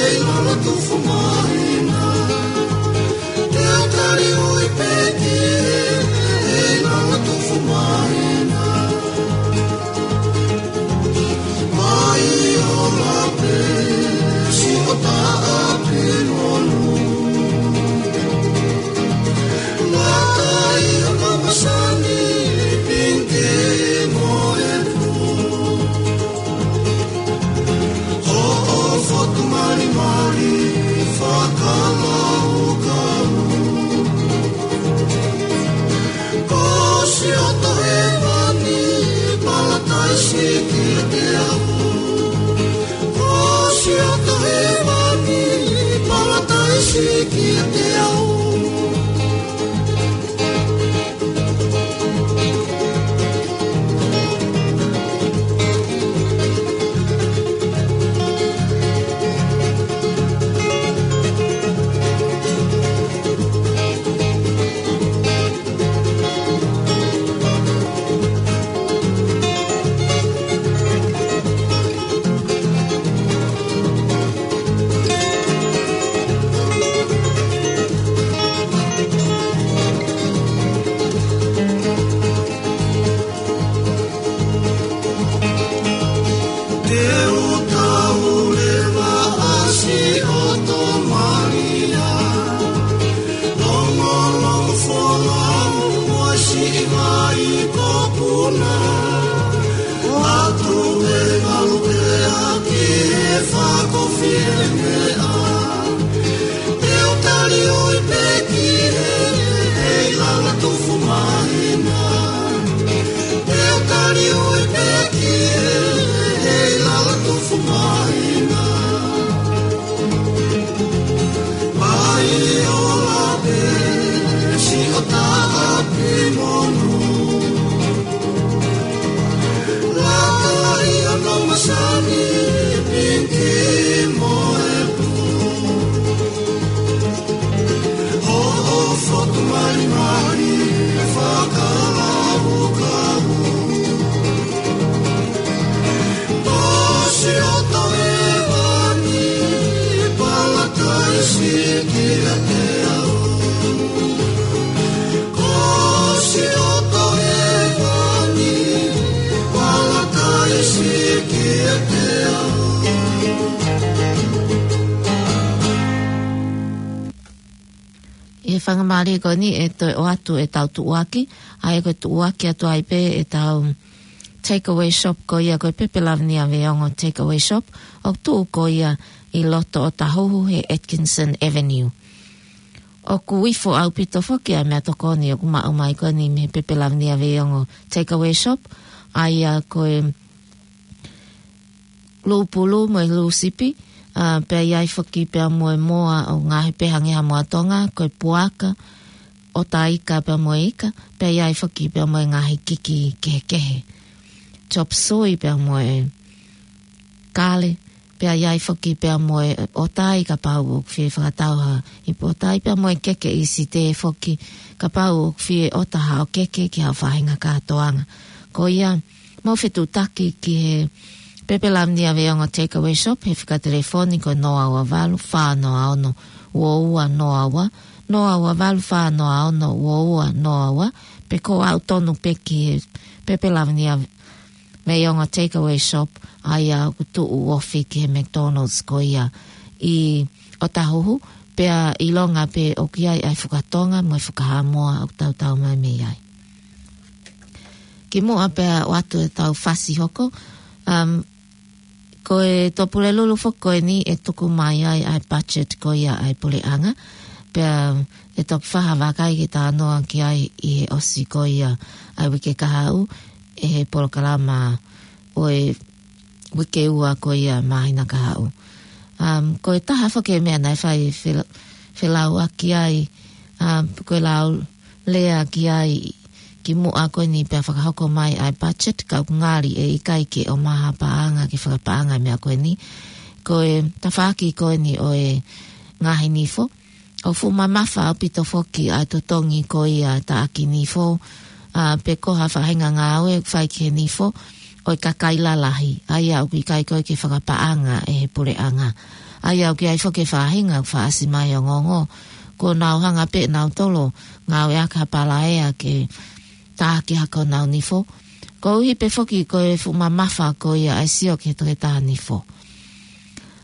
Ko siʻoto hēvani, palataisi kiate au. Te u tau leva ʻa siʻoto Malia, longolongo folau ʻo siʻi vai ko Puna. Atu e ngalu e aki e fakafiemea. Te u tali ʻoi pē ki he, he ʻi lalo tufu mahina. Te u tali ʻoi pē ki he, he ʻi lalo tufu mahina. Mai ola pē, siʻoto ʻapi monu. Laka ia no masani, pinki mo e pū. Hoʻo fotu malimali, fakalaukau. Ko siʻoto hēvani, palataisi kiate au. Ko siʻoto hēvani, palataisi kiate au. ʻI he faingamālie ko eni ʻe toe ʻoatu ʻetau tuʻuaki, ʻa ia ko e tuʻuaki atu ai pē ʻetau takeaway shop ko ia ko e Pepe Lavinia Veiongo Takeaway Shop, ʻoku tuʻu ko ia ʻi loto ʻOtahuhu he Atkinson Avenue. ʻOku ifo ʻaupito foki ʻa e meʻatokoni ʻoku maʻu mai ko eni mei he Pepe Lavinia Veiongo Takeaway Shop, ʻa ia ko e lūpulu mo e lūsipi, ʻa, pea ʻi ai foki pea mo e moa ʻo ngaahi pē hangē ha moa Tonga, ko e puaka, ʻotaika pea mo e ika, pea ʻi ai foki pea mo e ngaahi kiki kehekehe. Chop suey pea mo e kale, pea ʻi ai foki pea mo e ʻotai kapau ʻoku fie fakatau ha ipu ʻotai pea mo e keke ʻi Site foki kapau ʻoku fie ʻota haʻo keke ki haʻo faʻahinga kātoanga. Ko ia, mou fetuʻutaki ki he Pepe Lavinia Veiongo Takeaway Shop he fika telefoni ko e noa ua valu, fā noa ono, ua ua noa ua, noa ua valu, fā noa ono, ua ua noa ua, pe ko e ʻalu tonu pē ki he Pepe Lavinia Veiongo Takeaway Shop, ʻa ia ʻoku tuʻu ofi ki he McDonald's ko ia ʻi ʻOtahuhu, pea ʻilonga pē ʻoku ʻi ai ʻa e fuka Tonga mo e fuka Haʻamoa ʻoku tautau mai mei ai. Kimuʻa pea ʻoatu ʻetau fasi hoko, um, ko e Tuʻapulelulu foki ko eni ʻe tuku mai ai ʻa e budget ko ia ʻa e puleʻanga, pea ʻe toki fai ha vakai ke talanoa ki ai ʻi he ʻosi ko ia ʻa e uike kahaʻu, ʻi he polokalama ʻo e uike ua ko ia māhina kahaʻu. Um, ko e taha foki e meʻa naʻe fai fela-, felauʻaki ai, um, ko e lau lea ki ai kimuʻa ko eni pea fakahoko mai ʻa e budget, ka ʻoku ngali ʻe ʻikai ke ʻomai ha paʻanga ke fakapaʻanga e meʻa ko eni. Ko e tafaʻaki ko eni ʻo e ngaahi nifo, ʻoku fuʻu mamafa ʻaupito foki ʻa e totongi ko ia ʻa e taʻaki nifo, ʻa, pe ko ha faʻahinga ngāue ʻoku fai ki he nifo ʻo e kakai lalahi, ʻa ia ʻoku ʻikai ko ē ke fakapaʻanga ʻe he puleʻanga. ʻA ia ʻoku ʻi ai foki e faʻahinga ʻoku fakaʻasi mai ʻo ongoongo kuo nau hanga pē ʻe nautolu ʻo ngāueʻaki ha palaea ke taʻaki hake honau nifo. Koeʻuhi pē foki ko e fuʻu mamafa ko ia ʻa e sio ki he toketā nifo.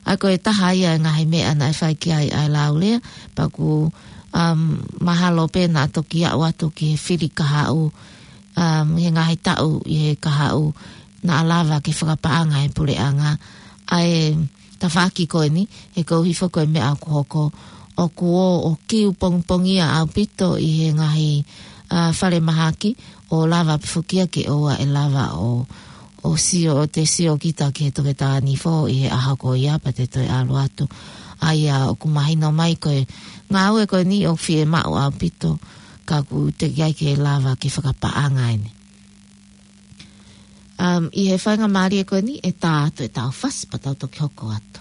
ʻA ia ko e taha ia e ngaahi meʻa naʻe fai ki ai ʻa e lau lea, pea ʻoku, um, mahalo pē naʻa toki aʻu atu ki he fili kahaʻu, um, he ngaahi taʻu ʻi he kahaʻu naʻa lava ke fakapaʻanga ʻe he puleʻanga ʻa e tafaʻaki ko eni, he koeʻuhi foki ko e meʻa ʻoku hoko, ʻoku ō ʻo kiu pongipongia ʻaupito ʻi he ngaahi, ʻa, falemahaki, ʻo lava pē foki ia ke ʻoua ʻe lava ʻo, ʻo sio, ʻo te sio kita ki he toketā Nifo ʻi he ʻaho ko ia pea te toe ʻalu atu. ʻA ia ʻoku mahino mai ko e ngāue ko eni ʻoku fiemaʻu ʻaupito, ka ʻoku teʻeki ai ke lava ke fakapaʻanga eni. Um, ʻi he faingamālie ko eni ʻe tā atu ʻetau fasi pea tau toki hoko atu.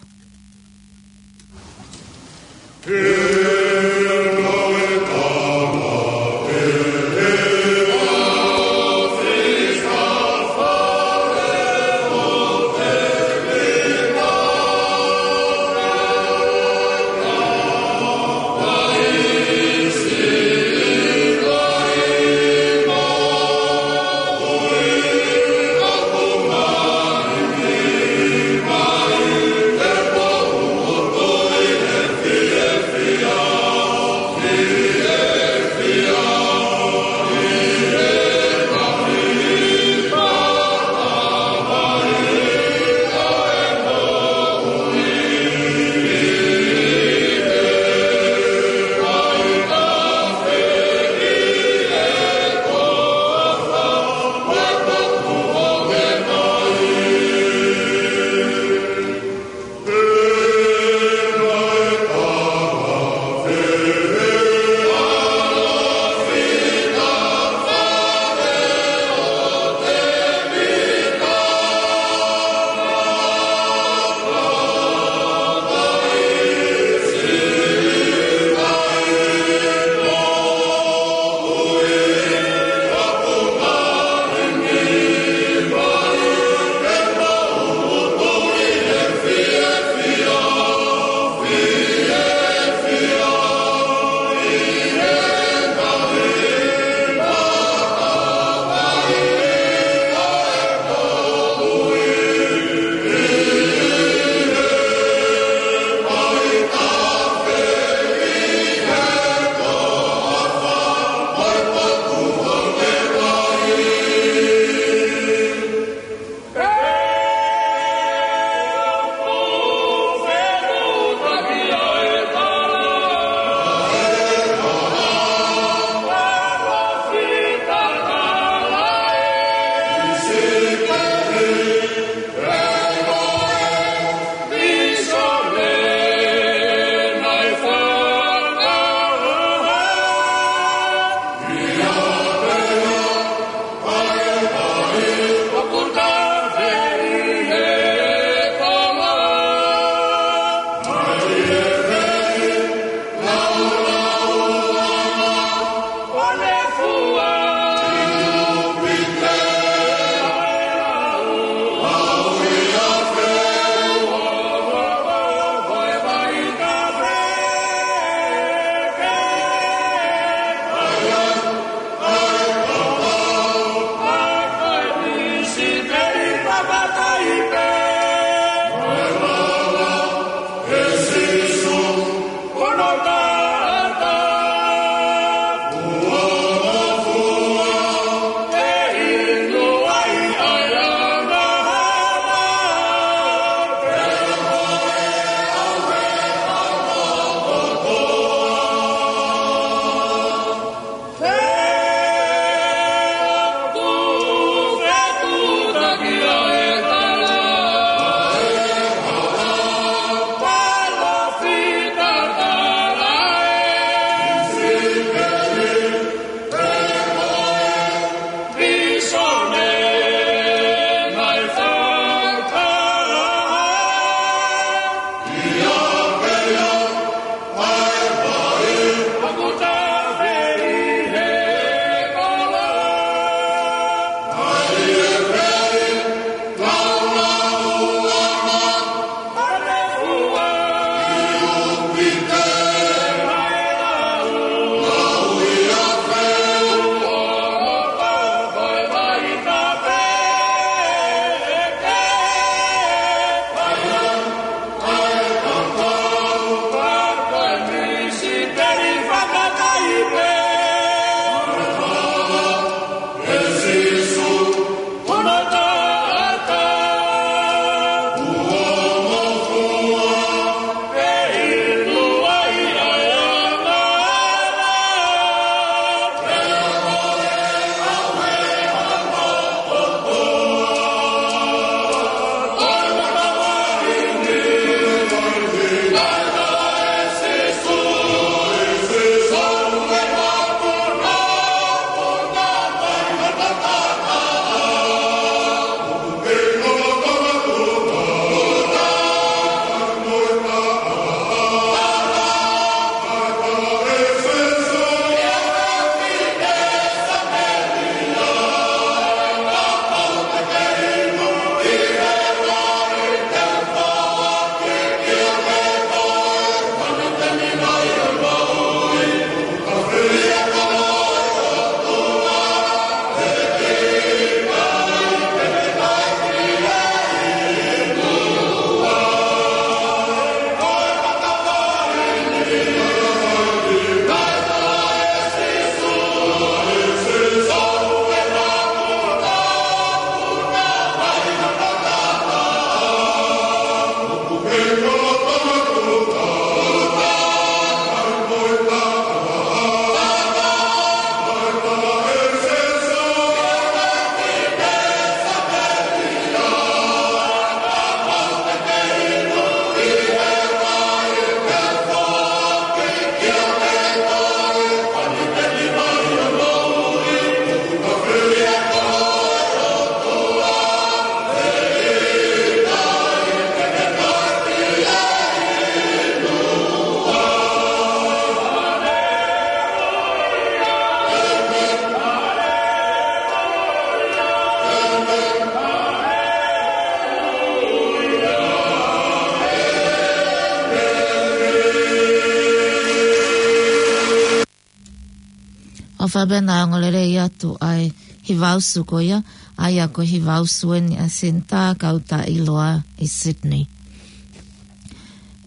ʻOfa pē naʻa ongo lelei atu ʻa e hiva usu ko ia, ʻa ia ko e hiva usu eni ʻa e Senitā Kautaʻi Loa ʻi Sydney.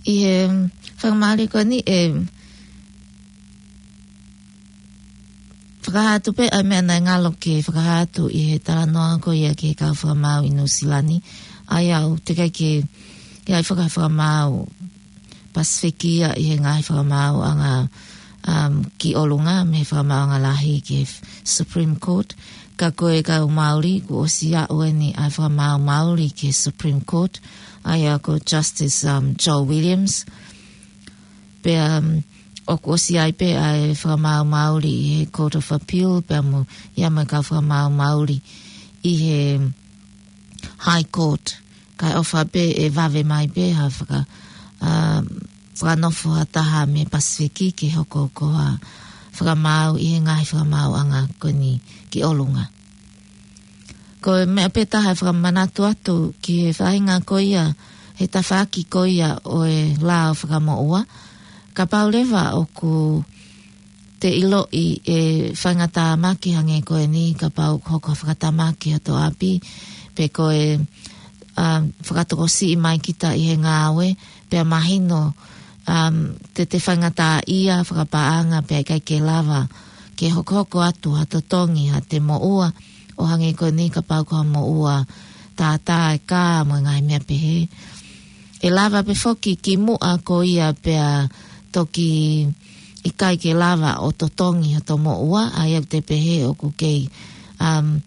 ʻI he fakamālō ko eni ʻe fakahā atu pē ʻa e meʻa naʻe ngalo ke fakahā atu ʻi he talanoa ko ia ki he kau fakamaau ʻi Nuʻusila ni. ʻA ia ʻoku teʻeki ke ʻi ai ha fakamaau Pasifiki ia ʻi he ngaahi fakamaauʻanga, um, ki ʻolunga mei he fakamaauʻanga lahi ki he Supreme Court. Ka ko e kau Māori kuo ʻosi aʻu eni ʻa e fakamaau Māori ki he Supreme Court. ʻA ia ko Justice, um, Joe Williams. Pea, um, ʻoku ʻosi ʻi ai pē ʻa e fakamaau Māori ʻi he Court of Appeal, pea mo ia mo e kau fakamaau Māori ʻi he High Court. Kae ʻofa pē ʻe vave mai pē ha faka-, um, fakanofo ha taha mei Pasifiki ke hoko ko ha fakamaau ʻi he ngaahi fakamaauʻanga ko eni ki ʻolunga. Ko e meʻa pē taha ʻe fakamanatu atu ki he faʻahinga ko ia, he tafaʻaki ko ia ʻo e lao fakamoʻua. Kapau leva ʻoku te ʻiloʻi ʻe faingatāmaki hangē ko eni, kapau hoko ha fakatamaki ʻi hoto ʻapi, pe ko e, um, fakatokosiʻi mai kita ʻi he ngāue, pea mahino, um, te te faingataʻaʻia fakapaʻanga pea ʻikai ke lava ke hokohoko atu ha totongi ha te moʻua, ʻo hangē ko eni kapau ko ha moʻua tātā e kā mo e ngaahi meʻa pehē. ʻE lava pē foki ki muʻa ko ia pea toki ʻikai ke lava ʻo totongi hoto moʻua, ʻa ia ʻoku te pehē ʻoku kei, um,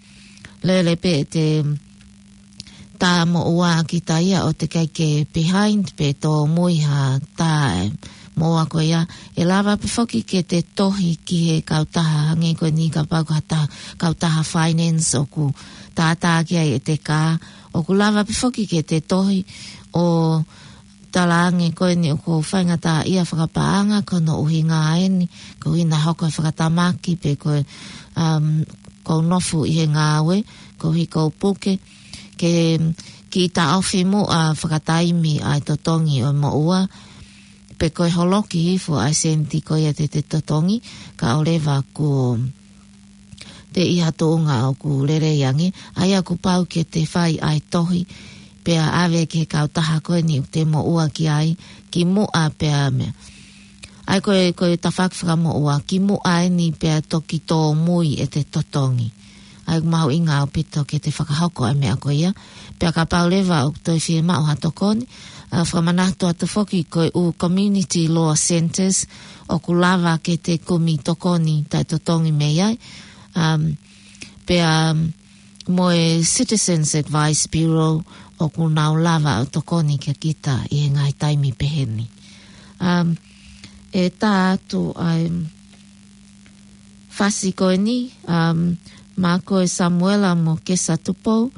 lele pē te tā moʻua kita ia ʻo teʻeki ke behind pe tōmui ha tā moʻua ko ia. ʻE lava pē foki ke te tohi ki he kautaha hangē ko eni kapau ko ha taha, kautaha finance ʻoku tātā ki ai ʻete kā. ʻOku lava pē foki ke te tohi ʻo talaange ko eni ʻoku ou faingataʻaʻia fakapaʻanga ko hono ʻuhinga eni, ko hono hoko e fakatamaki pe ko e, um, kou nofo ʻi he ngāue, koeʻuhi kou puke, ke kiʻi taʻofi muʻa fakataimi ʻa e totongi ʻo e moʻua, pe ko e holoki hifo ʻa e seniti ko ia te te totongi, kae ʻoua leva kuo te ʻi ha tuʻunga ʻoku lelei ange, ʻa ia kuo pau ke te fai ʻa e tohi, pea ʻave ki he kautaha ko eni ʻoku te moʻua ki ai, ki muʻa pea meʻa. ʻA ia ko e, ko e tafaʻaki fakamoʻua, ki muʻa eni pea toki tōmui ʻete totongi. ʻA ia ʻoku mahuʻinga ʻaupito ke te fakahoko ʻa e meʻa ko ia. Pea kapau leva ʻoku toe fiemaʻu ha tokoni, ʻa, fakamanatu atu foki ko e ʻū community law centres, ʻoku lava ke te kumi tokoni taʻetotongi mei ai. Um, pea, um, mo e Citizens Advice Bureau ʻoku nau lava ʻo tokoni kia kita ʻi he ngaahi taimi pehē ni. Um, ʻe tā atu ʻa e fasi ko eni, um, maʻa koe Samuela mo Kesa Tupou,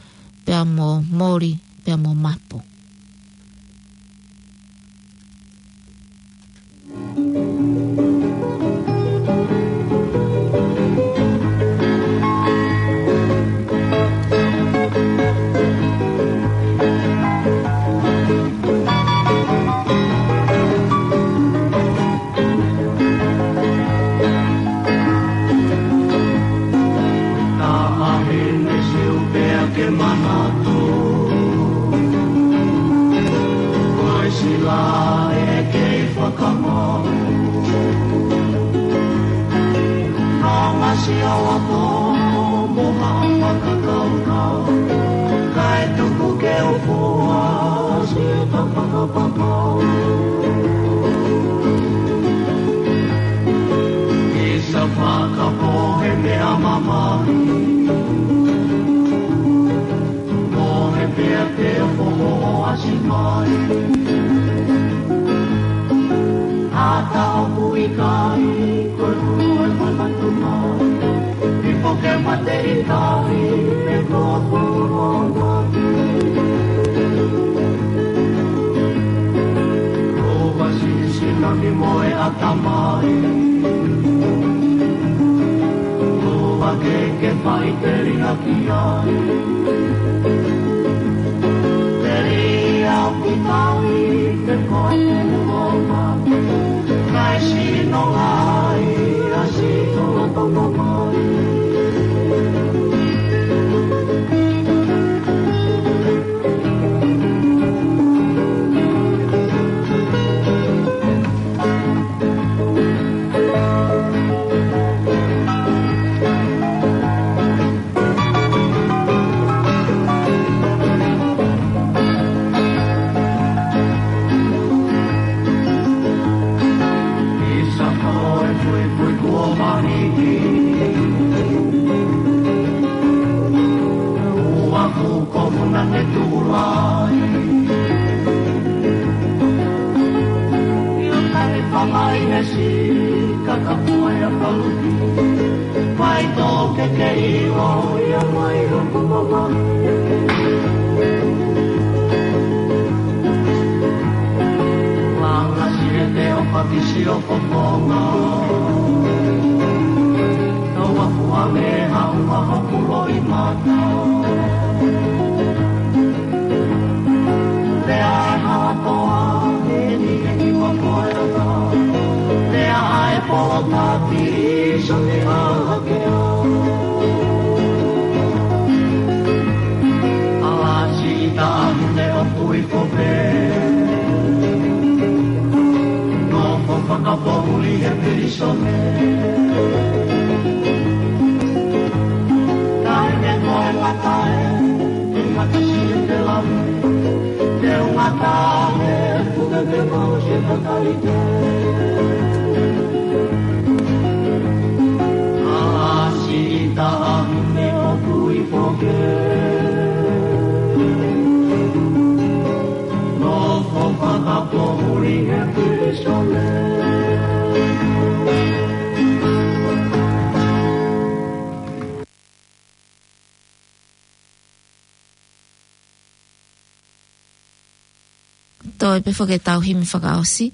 pea mo Moli, pea mo Mapu. Taʻahine siu pea ke manatu. Ko e sila ʻe kei fakamau. Nonga si au ako mo ha fakakaukau. Kae tuku ke u fua si ta fakapapau. Isa fakapohe meʻa mamahi. Mohe pea te foho ʻasi mai. Ata ʻoku ʻikai, ko e hulu e mamatu mai. I puke mate ʻikai, me ko polo mai. Ko vasi sinami mo e ʻatamai. Ko vake ke fai te ringa ki ai. Te ri au ki tai, te koe te muonga. Kai sino ai, a sino la tonga mai. Io, kani pamai he si, kakapua ia paluki. Mai tō ke ke i o ia mai o kumama. Langa si e te o pakisi o komonga. Tau a fua me ha ua ha pulo i mata. Lea e halakoa, e ni e ni wa koe ata. Lea ai polo tati, so ni a hake a. Ala si ita a hune o kui kope. No ko fakapohuli he pirisone. Kai me koe latae. Te mata si e te lami, te ungata e puke ke mau si e takalite. Ala si ita a hune o kui kope. No ko fakapohuli he pirisone. Toe pē foki ʻetau himi fakaʻosi,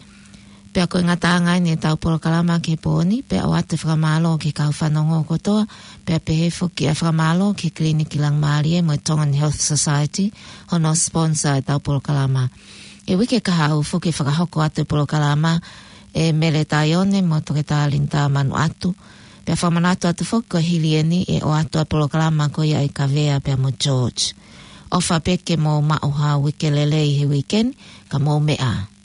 pea ko e ngataʻanga eni ʻetau polokalama ki he pō ni, pea ʻoatu e fakamālō ki he kau fanongo kotoa, pea pehē foki ʻa e fakamālō ki he Kiliniki Langimālie mo e Tongan Health Society, hono sponsor ʻetau polokalama. ʻI he uike kahaʻu foki ʻe fakahoko atu e polokalama ʻe Mele Taione mo Toketā Linitā Manuʻatu, pea fakamanatu atu foki ko e hili eni ʻe ʻoatu ʻa e polokalama ko ia ʻa Kavea pea mo George. ʻOfa pē ke mou maʻu ha uike lelei he uike ni, ka mou meʻa ā.